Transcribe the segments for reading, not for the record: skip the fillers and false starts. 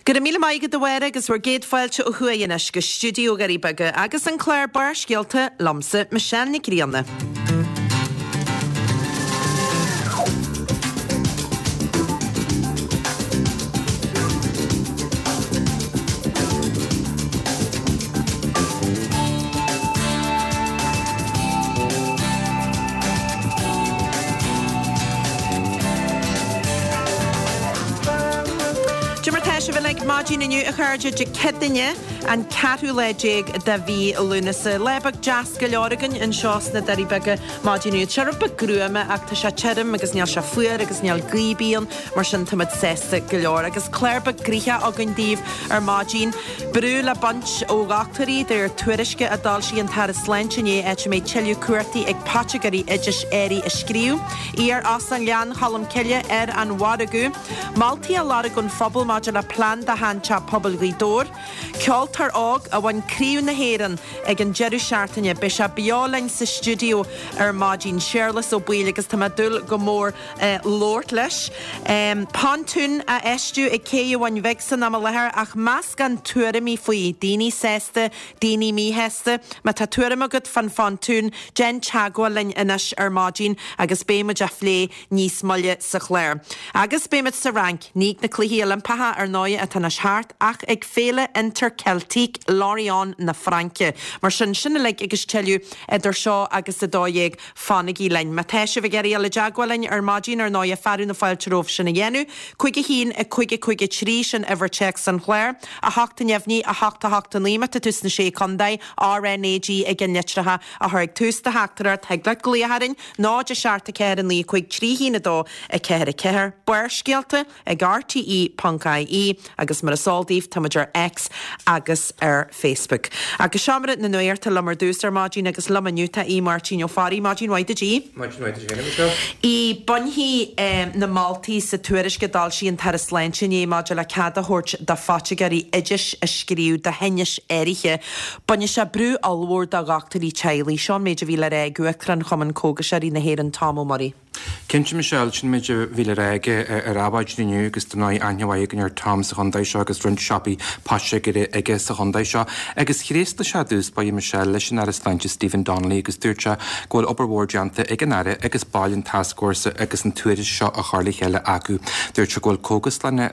Go raibh míle maith agat a Mháire agus bhur gcéad fáilte ó thuaidh anois go stiúideo Dhoirí Beaga agus an clár Barrscéalta liomsa, Michelle Nic Grianna. Cad é mar tá sibh uilig maidin inniu a chairde, Dé Céadaoine an ceathrú lá déag de mhí Lúnasa. Lá beag deas go leor againn anseo sna Doirí Beaga maidin inniu. Tá sé rud beag gruama ach tá sé tirim agus níl sé fuar agus níl gaoth ar bith ann mar sin tá muid sásta go leor. Agus clár beag gnoitheach againn daoibh ar maidin. Brú le baint ó dhochtúirí de réir tuairisce a d'fhoilsigh an tAire Sláinte inné áit a mbeidh tuilleadh cumhachtaí ag poitigéirí oidis earraí a scríobh. Iar-óstán Ghleann Cholm Cille ar an mhargadh. Moltaí á lorg ón phobal maidir le plean do sheanteach pobail Ghaoth Dobhair. Ceoltóir óg a bhain Craobh na hÉireann ag an deireadh seachtaine. Beidh sé beo linn sa stiúideo ar maidin, Séarlas Ó Baoill agus tá mé ag dúil go mór labhairt leis. Pontún á fheistiú ag Cé an Bhun Bhig san am i láthair ach meascán tuairimí faoi, daoine sásta, daoine míshásta. Má tá tuairim agat fán phontún, déan teagmháil linn anois ar maidin agus beidh muid á phlé níos moille sa chlár. Agus beidh muid sa Fhrainc, ní ag na Cluichí Oilimpeacha ar ndóigh atá anois thart, ach ag Féile Interceltique Lorient na Fraince. Mar sin, sin uilig agus tuilleadh idir seo agus 12:00. Fanaigí linn. Má tá sibh ag iarraidh dul i dteagmháil linn ar maidin, ar ndóighe, fearadh na fáilte romhaibh sin a dhéanamh. 5 1 5 5 3, sin uimhir téacs an chláir. 8 neamhní, 8 8 9, má tá tú sna Sé Contae, RNAG ag an litreacha a chur ag tús do theachtaireacht. Thig leat glaoch orainn, 0 7 4 9 5 3 1 2 4 4. Barrscéalta ag rte.ie agus mar is eol daoibh tá muid ar X agus ar Facebook. Agus seomra na nuachta liom ar dtús ar maidin agus liom inniu tá Aodh Máirtín Ó Fearraigh. Maidin mhaith duit Aodh. Maidin mhaith duit féin a Mhichelle. Aodh, bainfidh na moltaí sa tuairisc a d'fhoilsigh an tAire Sláinte inné maidir le cead a thabhairt do phoitigéirí oidis a scríobh do thinnis áirithe. Bainfidh sé brú ollmhór de dhochtúirí teaghlaigh. Seo an méid a bhí le rá ag Uachtarán Chumann Cógaiseoirí na hÉireann Tom Ó Muirí. Cinnte, Michelle, sin an méid a bhí le rá aige ar Adhmhaidin inniu agus dar ndóigh aithne mhaith againn ar Tom sa chontae seo agus roinnt siopaí poitigéara aige sa chontae seo. Agus thréaslaigh sé i dtús báire, Michelle, leis an Aire Sláinte Stephen Donnelly agus dúirt sé go bhfuil obair mhór déanta ag an Aire agus baill an tascfhórsa agus an tuairisc seo á chur le chéile acu. Dúirt sé go bhfuil cógaslanna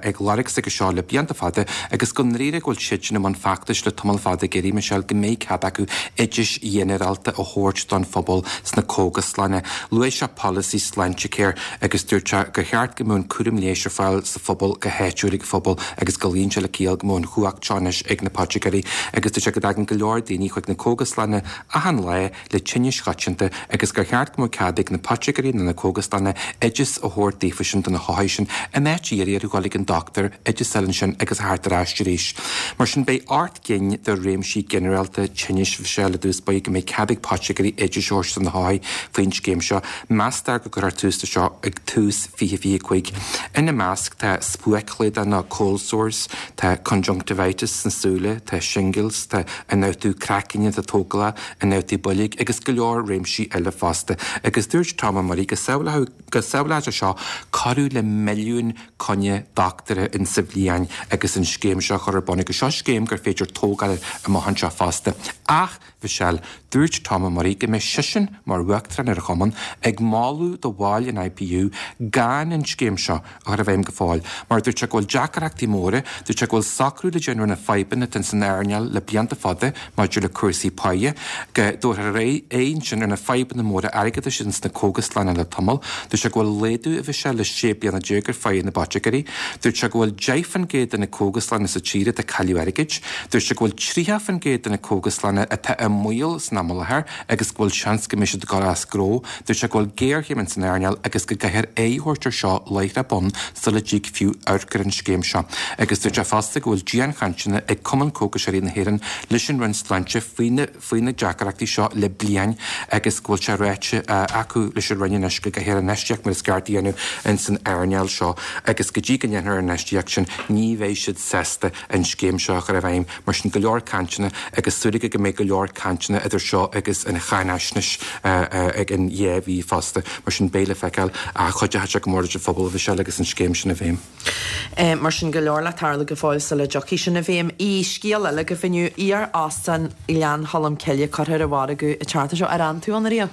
ag lorg s'aige seo le blianta fada agus go ndáiríre go bhfuil siadsan i mbun feachtais le tamall fada ag iarraidh, Michelle, go mbeidh cead acu oidis ghinearálta a thabhairt don phobal sna cógaslanna. Luaigh sé polasaí Sláintecare agus dúirt sé gur cheart go mbeadh an cúram leighis ar fáil sa phobal go háitiúil ag an phobal agus go luíonn sé le ciall go mbeadh an chumhacht seo anois ag na poitigéirí agus dúirt sé go dtagann go leor daoine chuig na cógaslanna achan lá le tinnis choitianta agus gur cheart go mbeadh cead ag na poitigéirí nó na cógaslanna oideas a thabhairt daofa sin do na hothair sin in áit iarraidh orthu dhul ag an dochtúir, oideas a fháil ansin agus a theacht ar ais arís. Mar sin beidh cinn de réimsí ginearálta tinnis Mhichelle i dtús báire go mbeidh cead ag poitigéirí oidis a thabhairt do na hothair faoin scéim seo. Meastar go gcuirfear tús leis seo ag tús 2025. Ina measc tá spuaic-chlamhdán nó cold sores, tá conjunctivitis sna súile, tá shingles, tá ionfhabhtú craicinn atá tógálach, ionfhabhtú boilg agus go leor réimsí eile fosta. Agus dúirt Tom Ó Muirí go samhlódh go samhlódh sé seo corradh le milliún coinne dochtúra in sa bhliain agus an scéim seo a chur ar bun agus seo scéim gur féidir tógáil air amach anseo fosta. Ach, Mhichelle, dúirt Tom Ó Muirí go mbeidh seisean, mar Uachtarán ar an Chumann, ag moladh do bhaill an IPU gan an scéim seo a chur i bhfeidhm go fóill, mar dúirt sé go bhfuil deacrachtaí móra, dúirt sé go bhfuil socrú le déanamh ar na fadhbanna atá san earnáil le blianta fada maidir le cúrsaí páighe, go dtabharfar aghaidh ansin ar na fadhbanna móra airgeadais ins na cógaslanna le tamall. Dúirt sé go bhfuil laghdú a Mhichelle le 16 bliana ar pháighe na bpoitigéirí. Dúirt sé go bhfuil 10% de na cógaslanna sa tír atá ag cailleadh airgid. Dúirt sé go bhfuil 30% de na cógaslanna atá i mbaol san am i láthair agus go bhfuil seans go mbeidh siad ag dul as gnó. Dúirt sé go bhfuil géarchéim ins an earnáil agus go gcaithfear aghaidh a thabhairt ar seo láithreach bonn sula dtig fiú amharc ar an scéim seo. Agus dúirt sé fosta go bhfuil dianchainteanna ag Cumann Cógaiseoirí na hÉireann leis an Roinn Sláinte faoi na faoi na deacrachtaí seo le bliain agus go bhfuil sé ráite acu leis an Roinn anois go gcaithfear infheistíocht mar is ceart a dhéanamh ins an earnáil seo agus go dtí go ndéanfar an infheistíocht sin ní bheidh siad sásta an scéim seo a chur i bhfeidhm. Mar sin go leor cainteanna agus súil aige go mbeidh go leor cainteanna idir seo agus an cháinaisnéis ag an dhá mhí fosta. fosta. Mar sin beidh le feiceáil ach cuideoidh sé go mór leis an phobal, a Mhichelle, agus an scéim sin i bhfeidhm. Mar sin go leor le tarlú go fóill sula dtiocfaidh sin i bhfeidhm. Aodh, Scéal eile agaibh inniu, iar-óstán Ghleann Cholm Cille curtha ar an mhargadh an tseachtain seo. Ar fhan tú ann ariamh?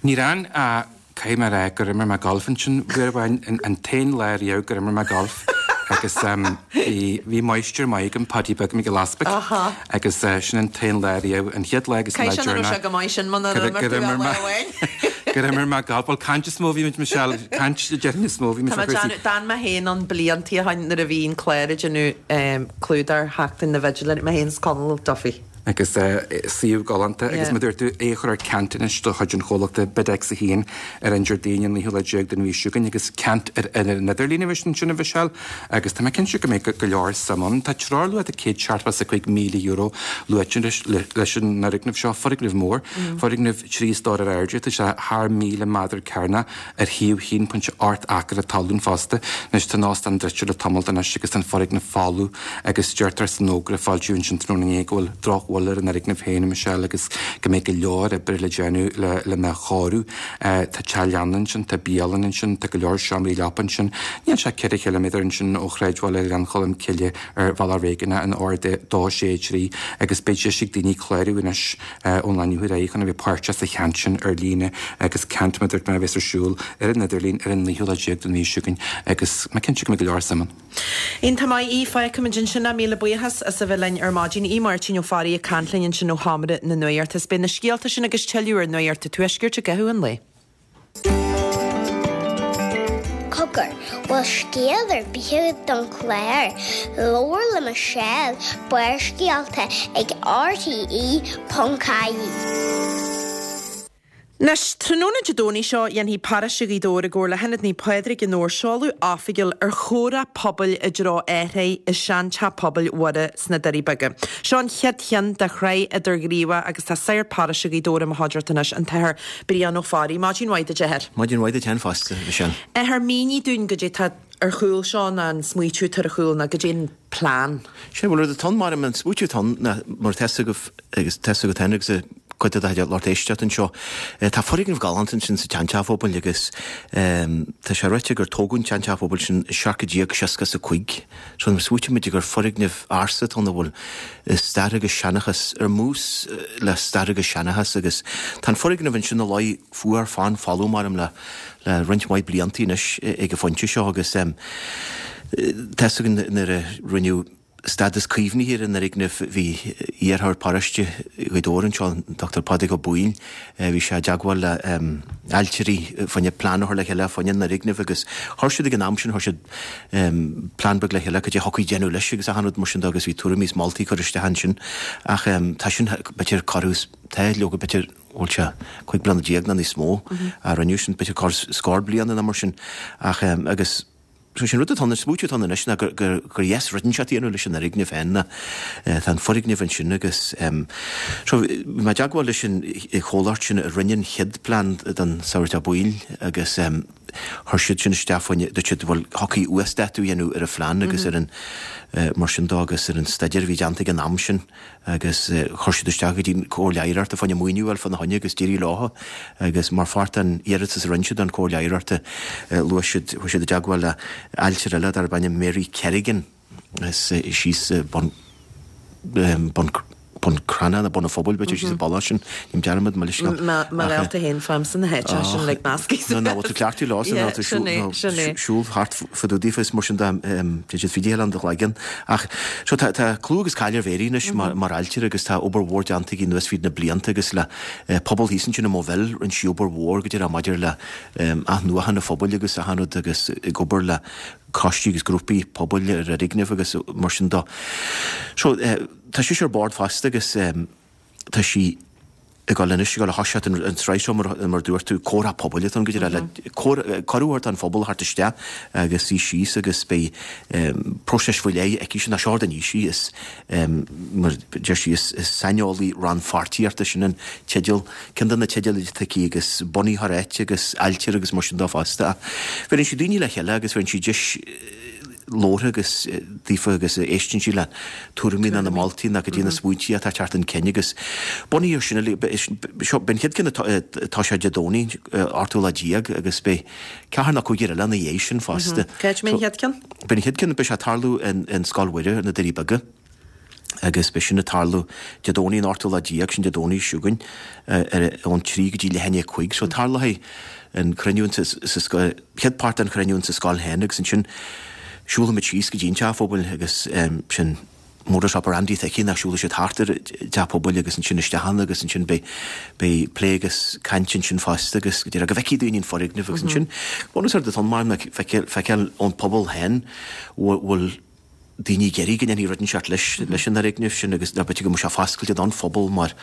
Níor fhan ach caithfidh mé a rá gur imir mé galf ansin uair amháin, an t-aon lá riamh gur imir mé galf agus bhí máistir maith agam, Paddy Beag Mac Giolla Easpaig agus sin an t-aon lá riamh, an chéad lá agus an lá deireanach. Caithfidh sé nach raibh sé go maith sin muna raibh imir tú ach lá amháin. Gur imir mé galf, bhuel caint is mó a bhí muid Michelle, caint déarfainn is mó a bhí muid Tá mé ag déanamh, d'fhan mé féin ann bliantaí ó shin nuair a bhí an clár ag déanamh clúdach Sheachtain na bhFidléirí, mé féin is Conall Duffy. Agus suíomh galánta agus mar a dúirt tú, é a chur ar ceant anois de chuid an chomhlachta BidX 1 ar an Déardaoin an 19ú lá den mhí seo chugainn agus ceant ar an idirlíon a bheas ansin a Mhichelle agus tá mé cinnte go mbeidh go leor suim ann. Tá treoirluach de €175,000 luaite leis an fhoirgneamh seo, foirgneamh mór, foirgneamh 3 stór ar airde, tá sé thar 1,000 méadar cearnach ar shuíomh 1.8 acra talún fosta. Anois tá an óstán druidte le tamall anois agus tá an foirgneamh folamh agus deirtear san fhógra a foilsíodh ansin tráthnóna inné go bhfuil drochbhail ar an fhoirgneamh féin, a Michelle, agus go mbeidh go leor oibre le déanamh lena chóiriú. Tá teach leanna ansin, tá bialann ansin, tá go leor seomraí leapa ansin. Níl sé 4 chiliméadar ansin ó shráidbhaile Ghleann Cholm Cille ar Bhealach Réigiúnach an R263 agus beidh deis ag daoine clárú anois ón lá inniu ar aghaidh chun a bheith páirteach sa cheant sin ar líne agus ceant, mar a dúirt mé, a bheas ar siúl ar an idirlíon ar an 19ú lá den mhí seo chugainn agus mé cinnte go mbeidh go leor suim ann. Iontach maith, Aodh, fágfaimid ansin é. Míle buíochas as a bheith linn ar maidin. Aodh Máirtín Ó Fearraigh ag caint linn ansin ó Sheomra na Nuachta. Is beidh na scéalta sin agus tuilleadh ar Nuacht an Tuaiscirt i gcaitheamh an lae. Cogar, bhfuil scéal ar bith agat don chlár? Labhair le Michelle, Barrscéalta ag RTÉ.ie. Anois, tráthnóna Dé Domhnaigh seo, dhéanfaidh Paróiste Ghaoth Dobhair i gcomhar le hIonad Naomh Pádraig i nDobhar seoladh oifigiúil ar chomhrá pobail i dtreo athraithe i seanteach pobail Mhuire sna Doirí Beaga. Seo an chéad cheann de shraith idirghníomhach agus tá Sagart Paróiste Ghaoth Dobhair i mo chuideachta anois, an tAthair Brian Ó Fearraigh. Maidin mhaith duit, a Athair. Maidin mhaith duit féin fosta, Michelle. Athair, mínigh dúinn goidé tá ar chúl seo ná an smaoitiú atá ar chúl ná goidé an plean. Sé, bhuel, rud atá ann, mar an smaoitiú atá ann ná mar atá fhios agaibh agus tá fhios agat féin agus cuid de do lucht éisteachta anseo, tá foirgneamh galánta ansin sa tseanteach phobail agus tá sé ráite gur tógadh an tseanteach phobail sin i 1765. So nuair a smaoitíonn muid gur foirgneamh ársa atá ann a bhfuil stair agus seanchas ar mbús le stair agus seanchas agus tá an foirgneamh ansin ina luí fuar fann folamh maram le le roinnt mhaith bliantaí anois ag an phointe seo agus tá fhios againn nuair a rinneadh stádas caomhnaithe ar an fhoirgneamh bhí iarrthóir paróiste Ghaoth Dobhair anseo, an Dr Pádraig Ó Baoill, bhí sé i dteagmháil le ailtirí fá choinne plean a chur le chéile fá choinne an fhoirgnimh agus chuir siad ag an am sin, chuir siad plean beag le chéile cad é a thiocfadh déanamh leis agus achan rud mar sin de agus bhí tuairimí is moltaí curtha isteach ansin ach tá sin b'fhéidir corradh, tá leoga b'fhéidir bhfuil sé 15 bliana nó níos mó a rinneadh sin, b'fhéidir corradh scór bliana nó mar sin ach agus so sin rud atá ann, an smaoitiú atá ann anois ná gur gur gur dheas rud inteacht a dhéanamh leis an fhoirgneamh féin ná tá an foirgneamh ansin agus so bhí mé i dteagmháil leis an chomhlacht sin a rinne an chéad plean don Sagart Ó Baoill agus chuir siad sin isteach fá choinne, dúirt siad bhuel thiocfaí uasdátú a dhéanamh ar an phlean agus ar an mar sin dó agus ar an staidéar a bhí déanta ag an am sin. agus chuir siad isteach go dtí an Chomhairle Oidhreachta fá choinne maoiniú a fháil fána choinne agus d'éirigh leo agus mar pháirt den iarratas a rinne siad don Chomhairle Oidhreachta luaigh siad, chuaigh siad i dteagmháil le ailtire eile darb ainm Mary Kerrigan as síos Bun, Bun, Bun Cranncha nó Bun an Phobail b'fhéidir síos an bealach sin, déanaim dearmad, mo leithscéal. Mo réalta féin faighimse na háiteacha sin uilig measctha. No, no, bhfuil tú cleachtaithe leo sin, nó tú siúl thart fá dtaobh daofa is mar sin de, tá siad fríd a chéile in do chloigeann. Ach, so tá, tá clú agus cáil ar Mhary anois mar, mar ailtire agus tá obair mhór déanta aici anuas fríd na blianta agus le pobal thíos ansin i Maigh Bhil, rinne sí obair mhór go díreach maidir le athnuachan an phobail agus achan rud agus ag obair le coistí agus grúpaí pobail ar fhoirgnimh agus mar sin de. So, tá sise ar bord fosta agus tá sí ag dul anois, ag dul a thoiseacht an tsraith seo mar mar dúirt tú, comhrá pobail atá ann go díreach le cuireadh a thabhairt don phobal theacht isteach agus suí síos agus beidh próiseas faoi leith aici sin, seo rud níos is mar deir sí is saineolaí rannpháirtíochta, sin an teideal, ceann de na teidil atá aici agus bunaitheoir áite agus ailtire agus mar sin de fosta. Ach bheireann sí daoine le chéile agus bheireann sí deis. labhartha agus daofa agus éisteann sí le tuairimí ná na moltaí ná goidé na smaointí atá ag teacht chun cinn agus bunaithe ar sin uilig, seo, beidh an chéad ceann atá sé Dé Domhnaigh, 18ú lá agus beidh ceathrar nó cúigear eile ina dhiaidh sin fosta. Cá háit a mbeidh an chéad ceann? Beidh an chéad ceann, beidh sé ag tarlú in Scoil Mhuire ar na Doirí Beaga. agus beidh sin ag tarlú Dé Domhnaigh an 18ú lá, sin Dé Domhnaigh seo chugainn, ón 3 go dtí leath i ndiaidh 5. So tarlóidh an cruinniú sa scoil, chéad páirt den chruinniú insa scoil féin agus ansin siúlfaimid síos go dtí an teach pobail agus sin Motor Shopper Andy Thickey nach siúlfaidh siad thart ar an teach pobail agus ansin isteach ann agus ansin beidh beidh plé agus caint ansin fosta agus go dtí go bhfeicfidh daoine an foirgneamh agus ansin bunús ar do ton mar nach feiceáil ón pobal féin bhfuil daoine ag iarraidh go ndéanfaí rud inteacht leis leis an fhoirgneamh sin agus ná b'fhéidir go mbeadh sé foscailte don phobal mar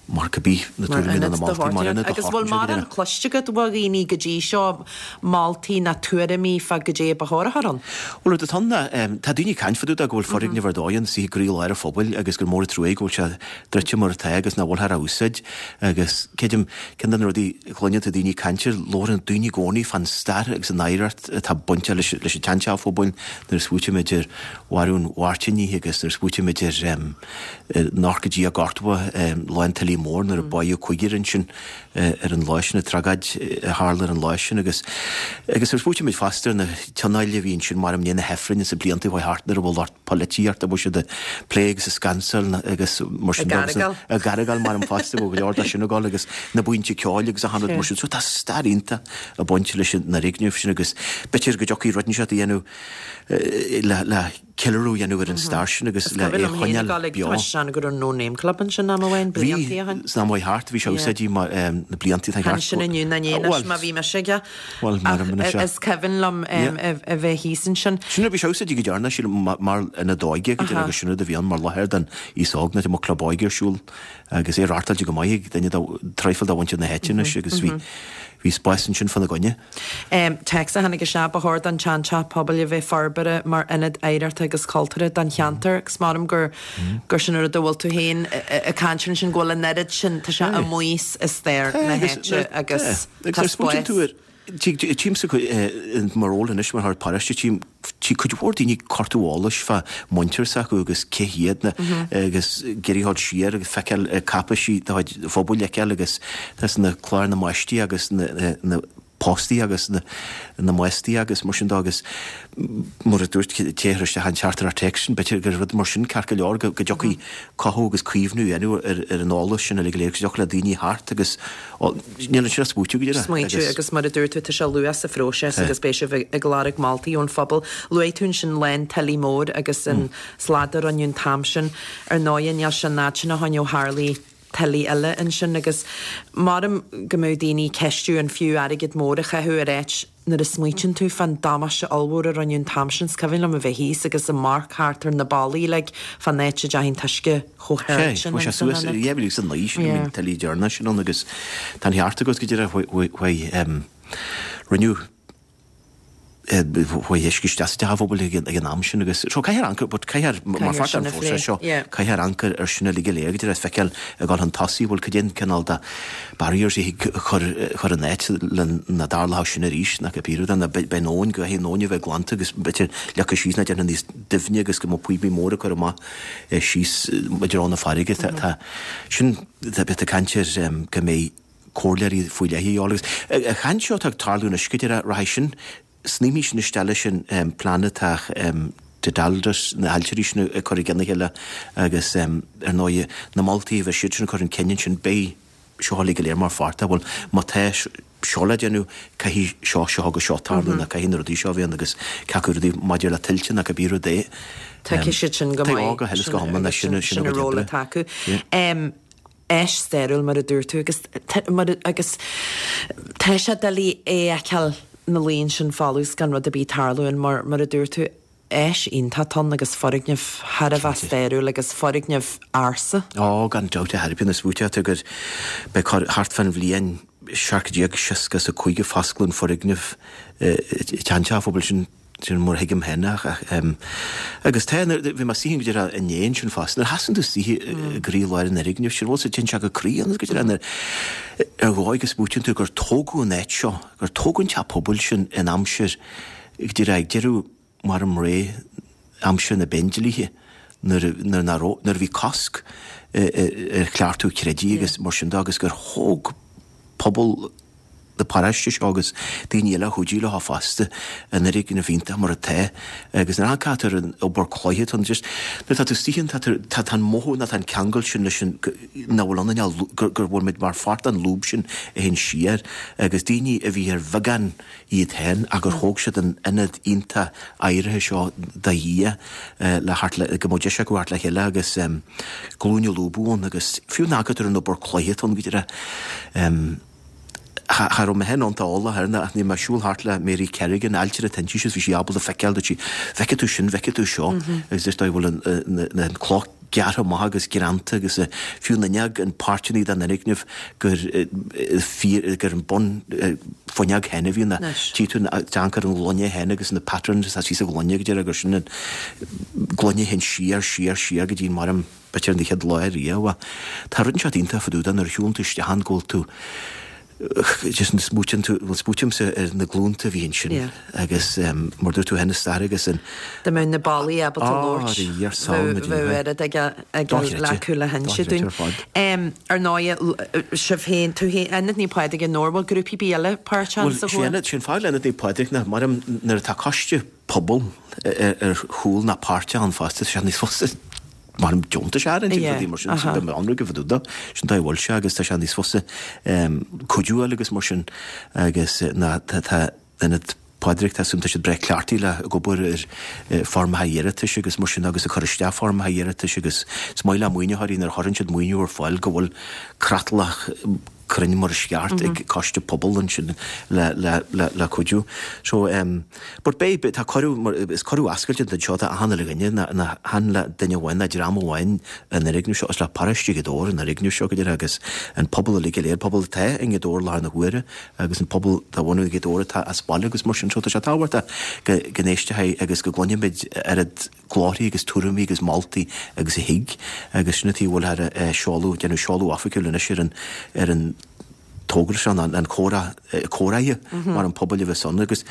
mar cibé na tuairimí nó na moltaí mar ionad do Agus bhfuil mórán cloiste agat ó dhaoine go dtí seo, moltaí ná tuairimí fá goidé ba chóir a chur ann? Bhuel rud atá ann ná tá daoine ag caint fá dtaobh de go bhfuil foirgneamh ar dóigh ann istigh i gcroílár an phobail agus gur mór an trua go bhfuil sé druidte mar atá agus nach bhfuilthear á úsáid agus creidim ceann de na rudaí a chluineann tú daoine ag caint air labhrann daoine i gcónaí fán stair agus an oidhreacht atá bainte leis leis an tseanteach phobail nuair a smaoitímid ar mharú an Mhairtínigh agus nuair a smaoitímid ar an oircídí a gortaíodh lá an tuile mór nuair a báitheadh cúigear ansin ar an lá sin, an tragóid a tharla ar an lá sin agus agus nuair a smaoitímid fosta ar na tionóil a bhí ansin mar i ndiaidh na hAifrinn ins na blianta a chuaigh thart nuair a bhfuil lucht polaitíochta a bhfuil siad ag plé agus ag scansáil agus mar sin de agus ag argáil mar an fosta go leor de sin ag dul agus na buíonta ceoil agus achan rud mar sin. So tá stair iontach ag baint leis an fhoirgneamh sin agus b'fhéidir go dtiocfaidh rud inteacht a dhéanamh le ceiliúradh a dhéanamh ar an stair sin agus le é a choinneáil beo. Tá sé go raibh No Name Club ansin am amháin, bliantaí ó shin. Bhí, san am a chuaigh thart, bhí sé úsáidí mar na bliantaí atá thart. Ansin inniu ná ní anois má bhí mise aige. Bhuel, mar a ach is cuimhin liom a bheith thíos ansin. Sin bhí sé úsáidí go deireanach, sílim, mar ionad óige go deireanach agus sin rud a bhí ann mar láthair don aos óg nuair a bhí club óige ar siúl agus é reáchtáilte go maith ag duine traidhfil de mhuintir na háite anois agus bhí bhí spás ansin fána gcoinne. Téacs a tháinig isteach, Ba chóir don tseanteach pobail a bheith forbartha mar ionad oidhreachta agus cultúrtha don cheantar agus maram gur gur sin an rud a bhfuil tú féin ag caint air ansin go bhfuil an oiread sin, tá sé amuigh i stair na háite agus tá spás. Tchímse mo ról anois mar shagart paróiste, tchím cuid mhór daoine ag cuartú eolais fá muintir s'acu agus cé hiad na agus ag iarraidh a ghabháil siar agus feiceáil cáipéisí de chuid an phobail a fheiceáil agus tá na cláir na mbaistí agus na póstaí agus na mbástaí agus mar sin de agus mar a dúirt té a chuir isteach an teachtaireacht téacs sin, b'fhéidir gur rud mar sin ceart go leor go dtiocfaidh cothú agus caomhnú a dhéanamh ar an eolas sin uilig go léir agus go dtiocfadh le daoine theacht agus níl ansin ach smaoitiú go díreach. Smaointiú agus mar a dúirt tú tá sé luath sa phróiseas agus beidh sibh ag lorg moltaí ón phobal. Luaigh tú ansin lá an tuile mór agus an slad a rinneadh an t-am sin. Ar ndóighe níl sé an fhad sin ó shin ó tharlaigh tuile eile ansin agus maram go mbeadh daoine ag ceistiú an fiú airgead mór a chaitheamh ar áit nuair a smaoitíonn tú fán damáiste ollmhór a rinneadh an t-am sin. Is cuimhin liom a bheith thíos agus ag amharc thart ar na ballaí uilig fán áit a dteachaigh an t-uisce chomh hard sin Chuaigh sé suas i 2009 sin an tuile deireanach sin ann agus tá an ceart agat go díreach chuaigh rinneadh Chuaigh uisce isteach sa teach phobail ag an am sin agus so caithfear amharc but caithfear mar pháirt den phróiseas seo caithfear amharc ar sin uilig go léir go díreach feiceáil ag dul chun tosaigh bhfuil cad é an cineál de barriers a thig chur chur in áit le nach dtarlódh sin arís nach cibé rud é nó beidh an abhainn go caithfidh an abhainn a bheith glanta agus b'fhéidir leagtha síos ná déanta níos doimhne agus go mbeadh píopaí móra curtha amach síos i dtreo na farraige tá sin tá tá caint ar go mbeidh comhairleoirí faoi leith a dhíobháil. Agus an chaint seo atá ag tarlú anois go díreach, rachaidh sin, sníomfaidh sin isteach leis an plean atá Dedalus, na hailtirí sin ag cur i gcionn a chéile agus ar ndóigh na moltaí a bheidh siad sin ag cur chun cinn ansin, beidh seo uilig go léir mar pháirt de. Bhuel, má tá seo le déanamh, caithfidh seo, seo agus seo tarlú nó caithfidh na rudaí seo a bheith ann agus cé acu rudaí maidir le tuilte nó cibé rud é. Tuigfidh siad sin go maith. Go huile is go hiomlán, sin sin an ról atá acu. Áis stairiúil mar a dúirt tú agus mar agus tá sé doiligh é a fheiceáil ina luí ansin folamh is gan rud ar bith ag tarlú ann mar mar a dúirt tú áis iontach ann agus foirgneamh thar a bheith stairiúil agus foirgneamh ársa. Ó gan dabht a thairbhe na smaointe gur beidh cur thart fán bhliain 1765 a foscladh an foirgneamh i dteannta an phobail sin. Sin mar a thuigim féin ach agus tá nuair bhí mé istigh go díreach inné ansin fosta nuair a sheasann tú istigh i gcroílár an fhoirgnimh sin bhfuil sa téann sé go croí ionat go díreach nuair ar dhóigh go smaoitíonn tú gur tógadh an áit seo gur tógadh an teach pobail sin in aimsir go díreach ag deireadh. maram ré aimsir na bPéindlíthe nuair a nuair nach raibh nuair a bhí cosc ar chleachtadh creidimh agus mar sin de agus gur thóg pobal na paróiste seo agus daoine eile a chuidigh leo fosta an fhoirgneamh iontach mar atá agus nuair a amharcann tú ar an obair cloiche tá just nuair atá tú istigh ann tá tú tá tá an mothú nó tá an ceangal sin leis an nach bhfuil ionainn ach gur gur bhfuil muid mar pháirt den lúb sin a théann siar agus daoine a bhí ar bheagán iad féin ach gur thóg siad an ionad iontach áirithe seo do Dhia le theacht le, go mbeadh deis acu theacht le chéile agus glúine a lúbadh ann agus fiú nuair a amharcann tú ar an obair cloiche atá ann go díreach. Cha raibh mé féin iontach eolach air ach bhí mé ag siúl thart le Mary Kerrigan, ailtire atá inti agus bhí sí ábalta feiceáil dúirt sí, bhfeicfidh tú sin, bhfeicfidh tú seo agus is dóigh go bhfuil an cloch gearrtha amach agus greanta agus fiú an fhuinneog, an páirteanna den fhoirgneamh gur fíor, gur an bun fuinneog féin a bhí ann. Tchí tú an deanc ar an ghloine féin agus na patterns atá síos sa ghloine go deireadh gur sin an gloine féin siar, siar, siar go dtí an maram b'fhéidir an chéad lá riamh. Tá rud inteacht iontach fá dtaobh de nuair a shiúlann tú isteach ann go bhfuil tú just smaoitíonn tú, bhuel smaoitímse ar na glúnta a bhí ansin agus mar dúirt tú féin, an stair agus an. Dá mbeadh na ballaí ábalta labhairt, bheadh oiread ag acu le hinse dúinn. Ar ndóigh, sibh féin, tú féin, Ionad Naomh Pádraig i nDobhar, bhfuil grúpaí ar bith eile páirteach sa chomhrá? Bhuel, sé an fáth le Ionad Naomh Pádraig ná mar nuair atá coiste pobail ar chúl ná páirteach ann fosta, tá sé níos fusa mar deontais a fháil rudaí mar sin, sin bheith ann go fadúda, sin dóigh a bhfuil sé agus tá sé níos fusa cuidiú a fháil agus mar sin agus ná tá Ionad Pádraig, tá tá siad breá cleachtaithe le ag obair ar foirmeacha iarratais agus mar sin agus ag cur isteach foirmeacha iarratais agus is maith le maoinitheoirí nuair a chuireann siad maoiniú ar fáil go bhfuil creatlach cruinn mar is ceart ag coiste pobail ansin le le le le cuidiú. So em but beidh tá cuireadh mar is cuireadh oscailte don seo do achan uile dhuine ná ná chan le duine amháin ná dream amháin an fhoirgneamh seo is le paróiste Ghaoth Dobhair an fhoirgneamh seo go deimhin agus an pobal uilig go léir pobal atá i nGaoth Dobhair láthair na huaire agus an pobal de bhunadh Ghaoth Dobhair atá as baile agus mar sin so tá sé tábhachtach go go n-éistfidh agus go gcluinfimid oiread glórthaí agus tuairimí agus moltaí agus a thig agus sin an tuige a bhfuil ar seoladh, déanamh seoladh oifigiúil anois ar an ar an togra seo, an an comhrá comhráithe mar an pobail a bheas ann agus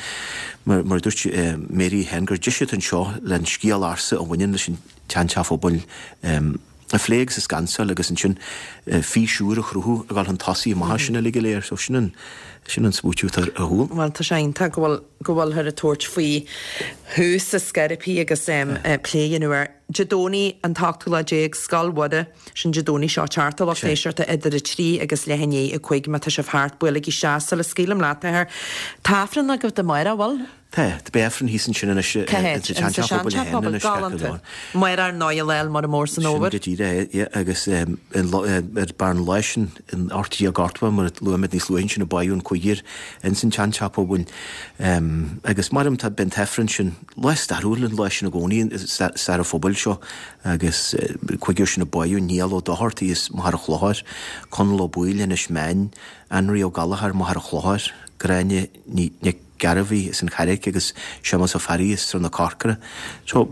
mar mar a dúirt Mary féin gur deis atá anseo le an scéal ársa a bhaineann leis an tseanteach phobail a phlé agus a scansáil agus ansin fís úr a chruthú a ghabháil chun tosaigh amach as sin uilig go léir. So sin an sin an smaoitiú atá ar siúl. Bhuel tá sé iontach go bhfuil go bhfuilthear ag tabhairt faoi thús ar scor ar bith agus plé a dhéanamh air. Dé Domhnaigh an t-ochtú lá déag, Scoil Mhuire, sin Dé Domhnaigh seo ag teacht a lucht éisteachta idir 3 agus leath i ndiaidh 5 má tá sibh thart, buailigí isteach sula scaoilim leat a Athair. Tá Aifreann agaibh amárach, bhfuil? Tá, beidh Aifreann thíos ansin anois Cá háit? Sa seanteach pobail, galánta. Amárach ar ndóigh Lá Fhéile Muire Mór san Fhómhar. Sin go díreach é, yeah, agus ar barr an lá sin, in 1880, mar a luaigh muid níos luaithe ansin, a báitheadh an cúigear ins an tseanteach pobail. Agus maram tá, beidh an t-Aifreann sin, lá stairiúil an lá sin i gcónaí i stair an phobail seo, agus cúigear sin a báitheadh, Niall Ó Dochartaigh as Machaire Chlochair, Conall Ó Baoill, Inis Meáin, Anraí Ó Gallchóir, Machaire Chlochair, Gráinne Nic. Gairbhí as an Charraic agus Séamus Ó Fearraigh as Srath na Corcra. So,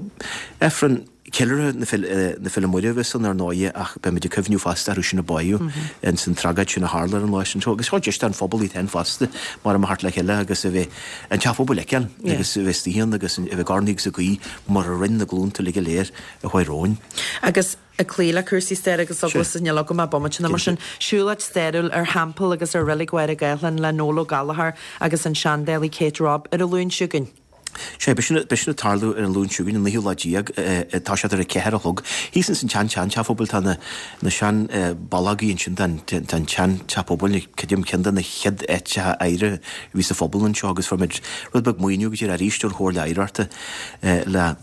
Aifreann ceiliúrtha na Féile Muire a bheas ann ar ndóighe ach beimid ag cuimhniú fosta orthu sin a báitheadh ins an tragóid sin a tharla ar an lá sin. So, agus seo deis don phobal iad féin fosta mar a theacht le chéile agus a bheith an teach pobail a fheiceáil agus a bheith istigh ann agus a bheith ag urnaí agus ag guí mar a rinne na glúnta uilig go léir a chuaigh romhainn. Agus ag cloí le cúrsaí staire agus eaglasta níl agam ach bomaite nó mar sin. Siúlóid stairiúil ar theampall agus ar reilig Mháire Gáthlán le Noel Ó Gallchóir agus an seandálaí Kate Robb ar an Luan seo chugainn. Sea, beidh sin, beidh sin ag tarlú ar an Luan seo chugainn, an naoú lá déag, tá sé ar a ceathair a chlog. Thíos ins an tsean tsean-teach pobail tá na, na sean ballógaí ansin den, den tsean-teach pobail, creidim ceann de na chéad áiteacha oidhre a bhí sa phobal anseo agus fuair muid rud beag maoiniú go dtí arís ón Chomhairle Oidhreachta le,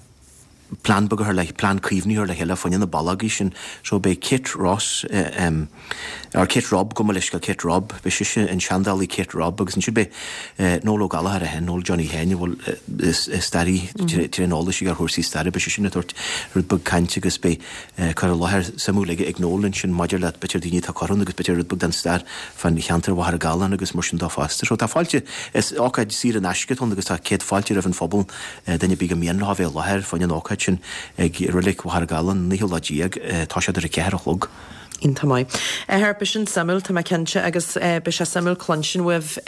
plean beag a chur le, plean caomhnaithe a chur le chéile fá choinne na ballógaí sin. So beidh Kate Ross, em, or Kate Robb, gabh mo leithscéal, Kate Robb, beidh sise, an seandálaí Kate Robb agus ansin beidh eh Noel Ó Gallchóir é féin, Noel Johnny féin, a bhfuil eh is staraí tréan eolais aige ar chúrsaí staire, beidh sé sin ag tabhairt rud beag cainte agus beidh eh cur i láthair suimiúil aige ag Noel ansin maidir le b'fhéidir daoine atá curtha ann agus b'fhéidir rud beag den stair fán cheantar Mhachaire Gathlán agus mar sin dó fosta. So tá fáilte, is ócáid saor in aisce atá ann agus tá céad fáilte roimh an phobal Duine ar bith gur mian leo a bheith i láthair fá choinne an ócáid sin ag Reilig Mhachaire Gathlán, an naoú lá déag, tá siad ar a ceathair a chlog. Iontach maith. Athair, beidh sin suimiúil, tá mé cinnte, agus beidh sé suimiúil cluinstin uaibh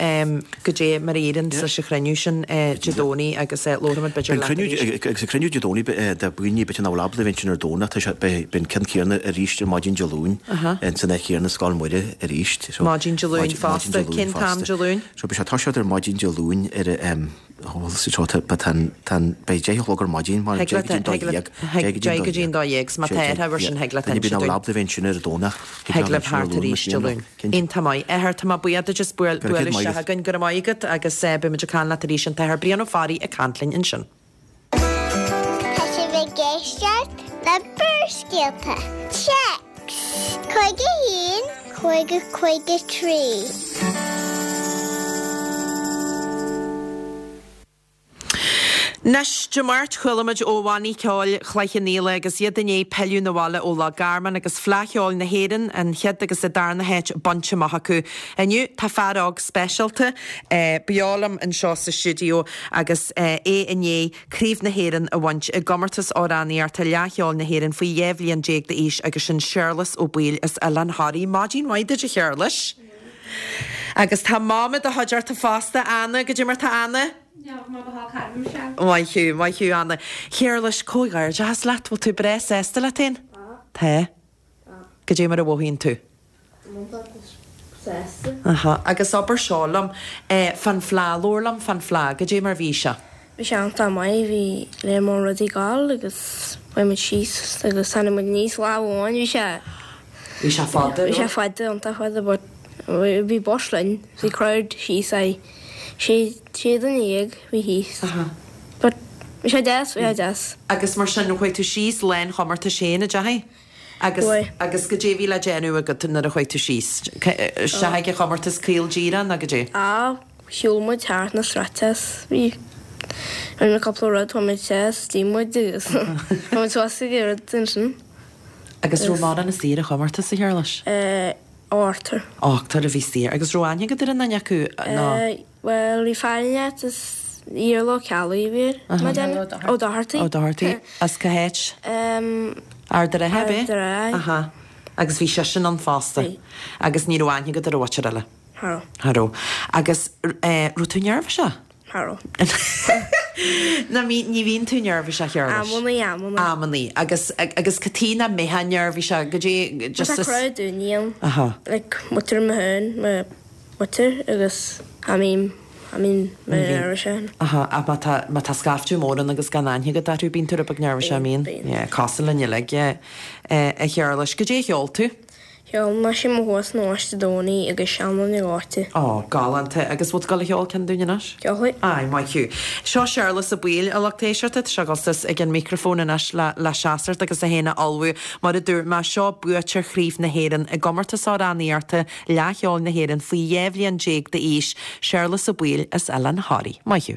goidé mar a éiríonn leis an chruinniú sin Dé Domhnaigh agus labhróimid b'fhéidir leat arís. Agus an cruinniú Dé Domhnaigh, do dhaoine b'fhéidir nach bhfuil ábalta a bheith ansin ar Domhnach, tá sé, beidh an ceann céanna arís ar maidin Dé Luain ins an áit chéanna, Scoil Mhuire arís. Maidin Dé Luain fosta. Cén t-am Dé Luain? So beidh sé ag toiseacht ar maidin Dé Luain ar a. Beidh 10 a chlog ar maidin mar 10 go dtí an 12. 10 go dtí an 12, 's má tá ar thabhair sin thig leat inse dúinn. Bíonn bheith ansin ar an Domhnach. Thig libh thart arís Dé Luain. Iontach maith. Athair, tá mé buíoch duit as bualadh isteach againn. Go raibh maith agat agus beidh muid ag caint leat arís. An tAthair Brian Ó Fearraigh ag caint linn ansin. Tá sibh ag éisteacht le Barrscéalta. Téacs 51 50 53. Anois, Dé Máirt, chuala muid ó bhannaí ceoil Chloich Cheann Fhaola agus iad i ndiaidh pilleadh 'na bhaile ó Loch Garman agus Fleadh Cheoil na hÉireann, an chéad agus an darna háit bainte amach acu. Inniu, tá fear óg speisialta beo liom anseo sa stiúideo agus é i ndiaidh Craobh na hÉireann a bhaint i gcomórtas amhránaíochta Fhleadh Cheoil na hÉireann faoi 12 bhliain d'aois agus sin Séarlas Ó Baoill as Oileán Thoraí. Maidin mhaith duit a Shéarlais. Agus tá Mam i do chuideachta fosta, Anna, goidé mar tá Anna? Maith thú, maith thú Anna. Shéarlais, comhghairdeachas leat, bhfuil tú breá sásta leat féin? Tá. Goidé mar a mhothaíonn tú? Sásta. Aha. Agus abair seo liom, fán Fleadh, labhair liom fán Fleadh, goidé mar bhí sé? Bhí sé iontach maith, bhí léar mór rudaí ag gabháil agus chuaigh muid síos agus tháinig muid aníos lá amháin, bhí sé. Bhí sé fada, Bhí sé fada, iontach fada but bhí bus linn, bhí crowd síos aye, sé, sé duine dhéag bhí thíos. Aha. But bhí sé deas, bhí sé deas. Agus mar sin, chuaigh tú síos lá an chomórtais féin, an ndeachaigh? Agus, agus goidé a bhí le déanamh agat nuair a chuaigh tú síos? Isteach ag an chomórtas caol díreach nó goidé? Á, shiúil muid thart na sráideanna is bhí, rinne muid cúpla rud, chuaigh muid isteach, d'ith muid agus chuaigh muid suas ag an rud ansin. Agus raibh mórán istigh ar an chomórtas, a Shéarlais? Eh, ochtar. Ochtar a bhí istigh. Agus raibh aithne agat ar aon duine acu nó? Eh, Bhuel, bhí fear in áit is Iarla Ó Ceallaigh a bhí air, má déanaim. Ó Dochartaigh. Ó Dochartaigh. As cá háit? Ard an Rátha, ab é? Ard an Rátha. Aha. Agus bhí seisean ann fosta. Bhí. Agus ní raibh aithne agat ar an mhuintir eile? Cha raibh. Cha raibh. Agus raibh tú neirbhíseach? Cha raibh. Ná ní bhíonn tú neirbhíseach, a Shéarlais? Amannaí, amannaí. Amannaí. Agus, agus cad chuige nach mbeifeá neirbhíseach? Goidé, just. Tá crowd daoine ann. Aha. Like, muintir mo féin, mo. Muintir agus I mean, I mean, mé neirbhíseach. Aha, ach má tá, má tá scaifte mór ann agus gan aithne agat orthu, bíonn tú rud beag neirbhíseach, an mbíonn? Bíonn. Yeah, cosúil linn uilig, yeah. A Shéarlais, goidé a cheol tú? Cheol mé Sé Mo Thua san Ambaiste Domhnaí agus Seanlann na Gleoite. Ó, galánta. Agus bhfuil tú ag dul a cheol ceann dúinn anois? Ceolfaidh. Aye, maith thú. Seo Séarlas Ó Baoill, a lucht éisteachta, tá sé ag dul suas ag an micreafón anois le, le seasacht agus é féin a ullmhú. Mar a dúirt mé, seo buaiteoir Chraobh na hÉireann i gcomórtas amhránaíochta Fhleadh Cheoil na hÉireann faoi 12 bhliain d'aois, Séarlas Ó Baoill as Oileán Thoraí. Maith thú.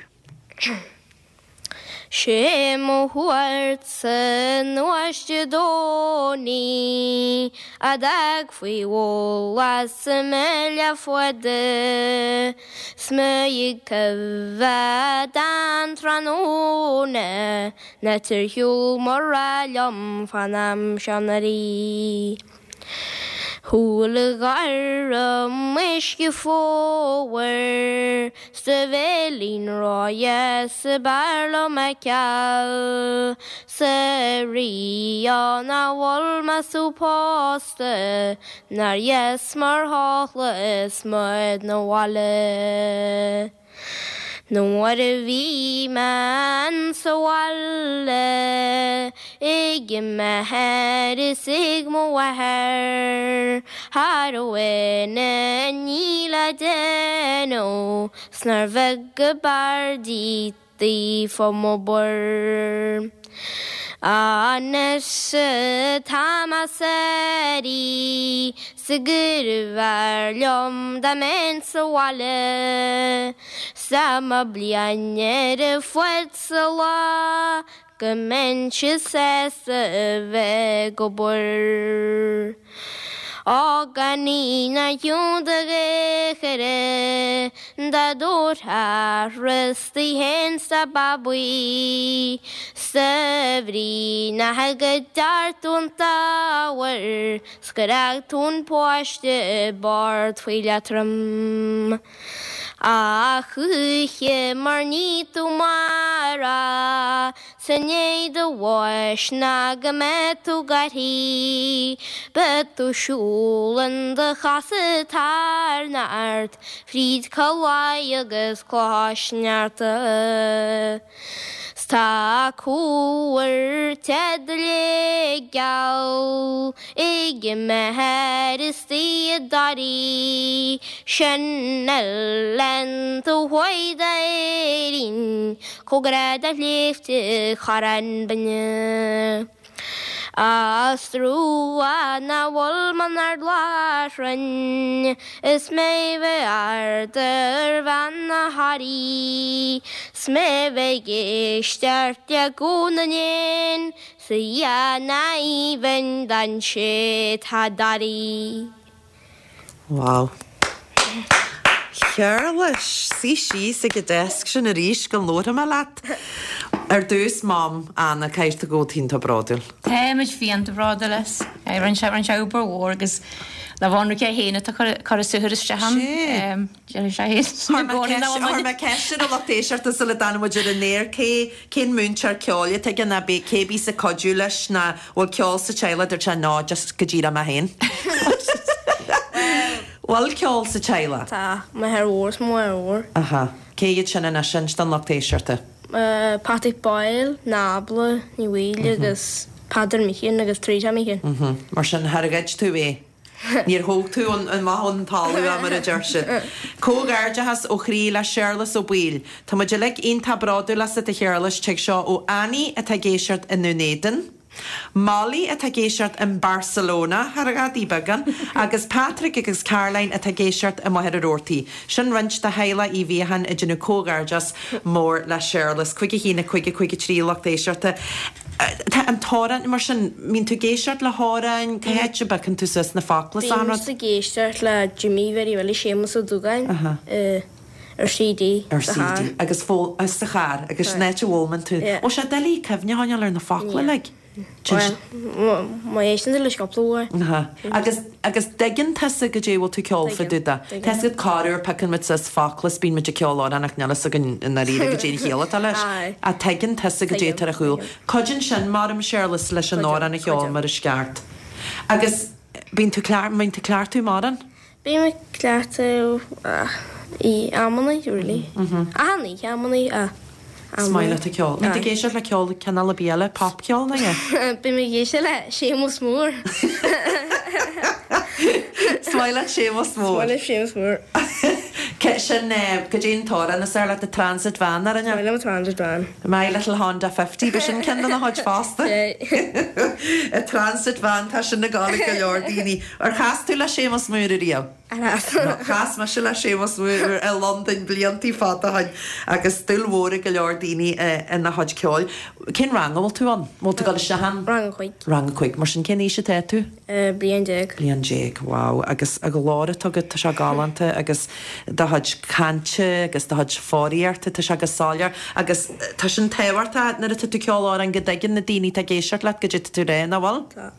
Sé mo thua ortsa a Ambaiste Domhnaí a d'fhág faoi bholadh sa mbaile fada 's mé ag coimheád an tráthnóna ná tar shiúl mura liom fán am seo anuraidh. Chuala gairm uisce fómhair 's do bhéilín ródheas ab fhearr liom a fheiceáil 's a Ríogh nach bhfuil mé sú pósta nár dheas mar shochla is mo 'na bhaile. Nuair a bhí mé insa bhaile ag m'athair is ag mo mháthair cha raibh aon ní le déanamh 's nár bheag go b'fhearr díot fá m'obair. Anois tá mé sáraithe 's gurbh fhearr liom dá mbeinn sa bhaile 's dá mba bliain ar a fad sa lá go mbeinnse sásta a bheith ag obair. Á gan í ná hiúnta ghéire dá dtabharfá rosta fhéin 's do babaí 's de bhrí nach go dtear tú an t-ábhar 's gur fhág tú an páiste i bord faoi leatrom. A choíche mar ní tú mara 's i ndiaidh do bháis ná go mbeidh tú gairthí, beidh tú siúl in do chasadh thar nart fríd Cill Aidh agus Cloich Sneachta. 'S tá cúmhar te do léig geal ag m'athair istigh i dToraí, sin oileán taobh thuaidh d'Éirinn, cóngarach do shléibhte Chorrán Binne. Is trua nach bhfuil mé in Ard Láithreáin is mé bheith ard ar bhean na Thoraí 's mé bheith ag éisteacht le guth na n-éan 's a dhath aoibhinn don té tá i dToraí. Wow. Shéarlais, suigh síos ag an desk sin arís go labharfaidh mé leat. Ar dtús, Mam, Anna, caithfidh tú go bhfuil tú iontach bródúil. Táimid iontach bródúil as. Rinne sé, rinne sé obair mhór agus le bhonn é féin atá cur a saothar isteach ann. Deir sé féin. Chuir mé ceist ar an lucht éisteachta sula dtáinig muid ar an aer, cé, cén múinteoir ceoil atá aige ná cé bíos ag cuidiú leis ná bhfuil ceol sa teaghlach, dúirt sé no, just go díreach mé féin. Bhfuil ceol sa teaghlach? Tá, m'athair mhór is mo mháthair mhór. Aha. Cé hiad sin anois, inis don lucht éisteachta. Patrick Boyle, Nábla Ní Bhaoill agus Peadar Meehan agus Teresa Meehan. Mar sin, char ghoid tú é. Níor thóg tú amach ón talamh é mar a deir siad. Comhghairdeachas ó chroí le Séarlas Ó Baoill. Tá muid uilig iontach bródúil asat a Shéarlais, tig seo ó Annie atá ag éisteacht i nDún Éideann, Molly atá ag éisteacht in Barcelona, thar a ghadaí beagán, agus Patrick agus Caroline atá ag éisteacht i Machaire Rabhartaigh. Sin roinnt de theaghlach Uí Mhiacháin ag déanamh comhghairdeas mór le Séarlas. 51 5 5 3 lucht éisteachta. Tá an t-amhrán, mar sin, mbíonn tú ag éisteacht le hamhráin, cá háit a bpiocann tú suas na focla is an rud? Bímse ag éisteacht le Jimmy Mhary Willie Séamus Ó Dúgáin ar CD sa charr. Ar CD agus sa charr agus sin áit a bhfoghlaimeann tú. Bhfuil sé doiligh cuimhne a choinneáil ar na focla uilig? Bhuel, má éisteann tú leis cúpla uair. Agus, agus dtuigeann tusa goidé a bhfuil tú ag ceol fá dtaobh de. Tá fhios agat corruair piocann muid suas focla is bíonn muid ag ceol amhrán ach níl fhios againn i ndáiríre goidé an chiall atá leis. Ach tuigeann tusa goidé atá ar a chúl. Cuidíonn sin, mar a Séarlas, leis an amhrán a cheol mar is ceart. Agus bíonn tú, bíonn tú ag cleachtadh mórán? Bím ag cleachtadh i amannaí, really. Achan oíche amannaí, ach Is maith leat an ceol. Bíonn tú ag éisteacht le ceol cineál ar bith eile, popcheol nó é? Bím ag éisteacht le Séamus Mór. Is maith leat Séamus Mór. Is maith liom Séamus Mór. Sin, goidé an t-amhrán is fearr leat, The Transit Van, ar an ea? Is maith liom Transit Van. My Little Honda 50, b'shin sin ceann de na chuid fosta. A Transit Van, tá sin ag gabháil ag go leor daoine. Ar chas tú le Séamus Mór ariamh? Ar chas. Chas mise le Séamus Mór i Londain bliantaí fada ó shin agus dúil mhór ag go leor daoine ina chuid ceoil. Cén rang a bhfuil tú ann? Bhfuil tú ag dul isteach ann? Rang a cuig. Rang a cuig. Mar sin cén aois atá tú? Bliain déag. Bliain déag, wow. Agus an glór atá agat, tá sé galánta agus do chuid cainte agus do chuid foghraíochta, tá sé go soiléir agus tá sin tábhachtach nuair atá tú ag ceol amhrán go dtuigeann na daoine atá ag éisteacht leat goidé atá tú a rá, nach bhfuil? Tá.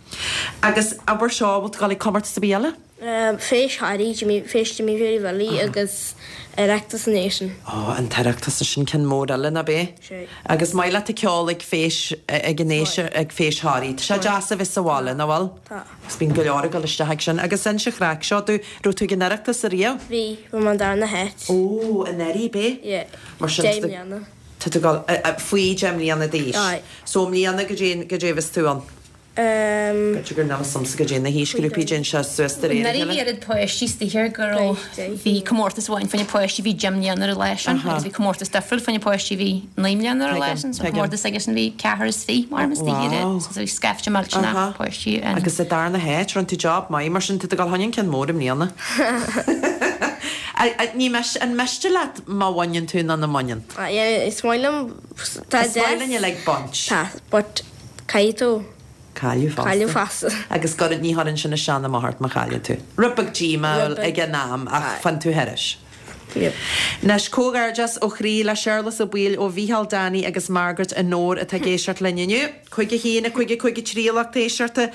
Agus abair seo, bhfuil tú ag dul ag comórtas ar bith eile? Feis Thoraí, Jimmy, Feis Jimmy Mhary Willie agus Oireachtas na hÉireann. Ó, an tOireachtas, sin ceann mór eile, nach é? Sea. Agus maith leat ag ceol ag Feis, ag an Fheis, ag Feis Thoraí. Tá sé deas a bheith sa bhaile, nach bhfuil? Tá. Agus bíonn go leor ag dul isteach ag sin. Agus inis an chraic seo domh, raibh tú ag an Oireachtas ariamh? Bhí, bhí mé an darna háit. Ó, anuraidh, b'é? Yeah. Mar sin, 10 mbliana. Tá tú ag dul, faoi 10 mbliana d'aois. Aye. So i mbliana goidé, goidé a bheas tú ann? B'fhéidir gur níl 'fhios a'msa goidé na haoisghrúpaí déanann sé suas de réir a Anuraidh chéile. bhí oiread páistí istigh air go raibh, bhí comórtas amháin fá choinne páistí a bhí 10 mbliana ar an lá sin agus bhí comórtas difriúil fá choinne páistí a bhí 9 mbliana ar an lá sin. So comórtas aigesean bhí ceathrar is fiche mar istigh air so bhí scaifte millteanach páistí ann. Agus sa darna háit, rinne tú job maith mar sin, tá tú ag dul chun an ceann mór i mbliana. Ní miste, an miste leat má bhaineann tú nó nach mbaineann? Yeah, is maith liom, tá Is maith linn uilig baint. Tá, but caithfidh tú. Cailleadh fosta. Cailleadh fosta. Agus go, ní chuireann sin isteach ná amach ort má chailleann tú. Rud beag díomúil ag an am ach faigheann tú thairis. Yep. Anois, comhghairdeas ó chroí le Séarlas Ó Baoill ó Mhícheál, Danny agus Margaret i nDobhar atá ag éisteacht linn inniu. 5 1, 5 5 3 a lucht éisteachta.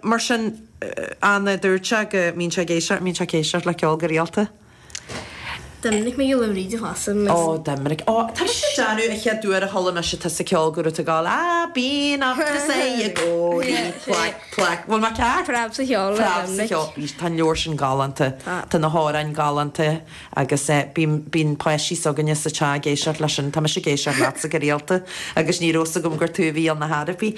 Mar sin, Anna, dúirt sé go mbíonn sé ag éisteacht, mbíonn sé ag éisteacht le ceol go rialta? Doiminic Mac Giolla Bhríde fosta. Ó, Doiminic. Ó, tá mise ag déanamh an chéad uair a chuala mise tusa ag ceol go raibh tú ag gabháil I've been up to say i gcónaí, plaic, plaic. Bhfuil mé ceart? Preab sa cheol le Preab sa Doiminic. cheol. Tá an leabhar sin galánta. Tá. Tá na hamhráin galánta agus bíonn, bíonn páistí s'againne sa teach ag éisteacht leis sin. Tá mise ag éisteacht leatsa go rialta agus ní raibh 's agam gur tú a bhí ar na harpaí.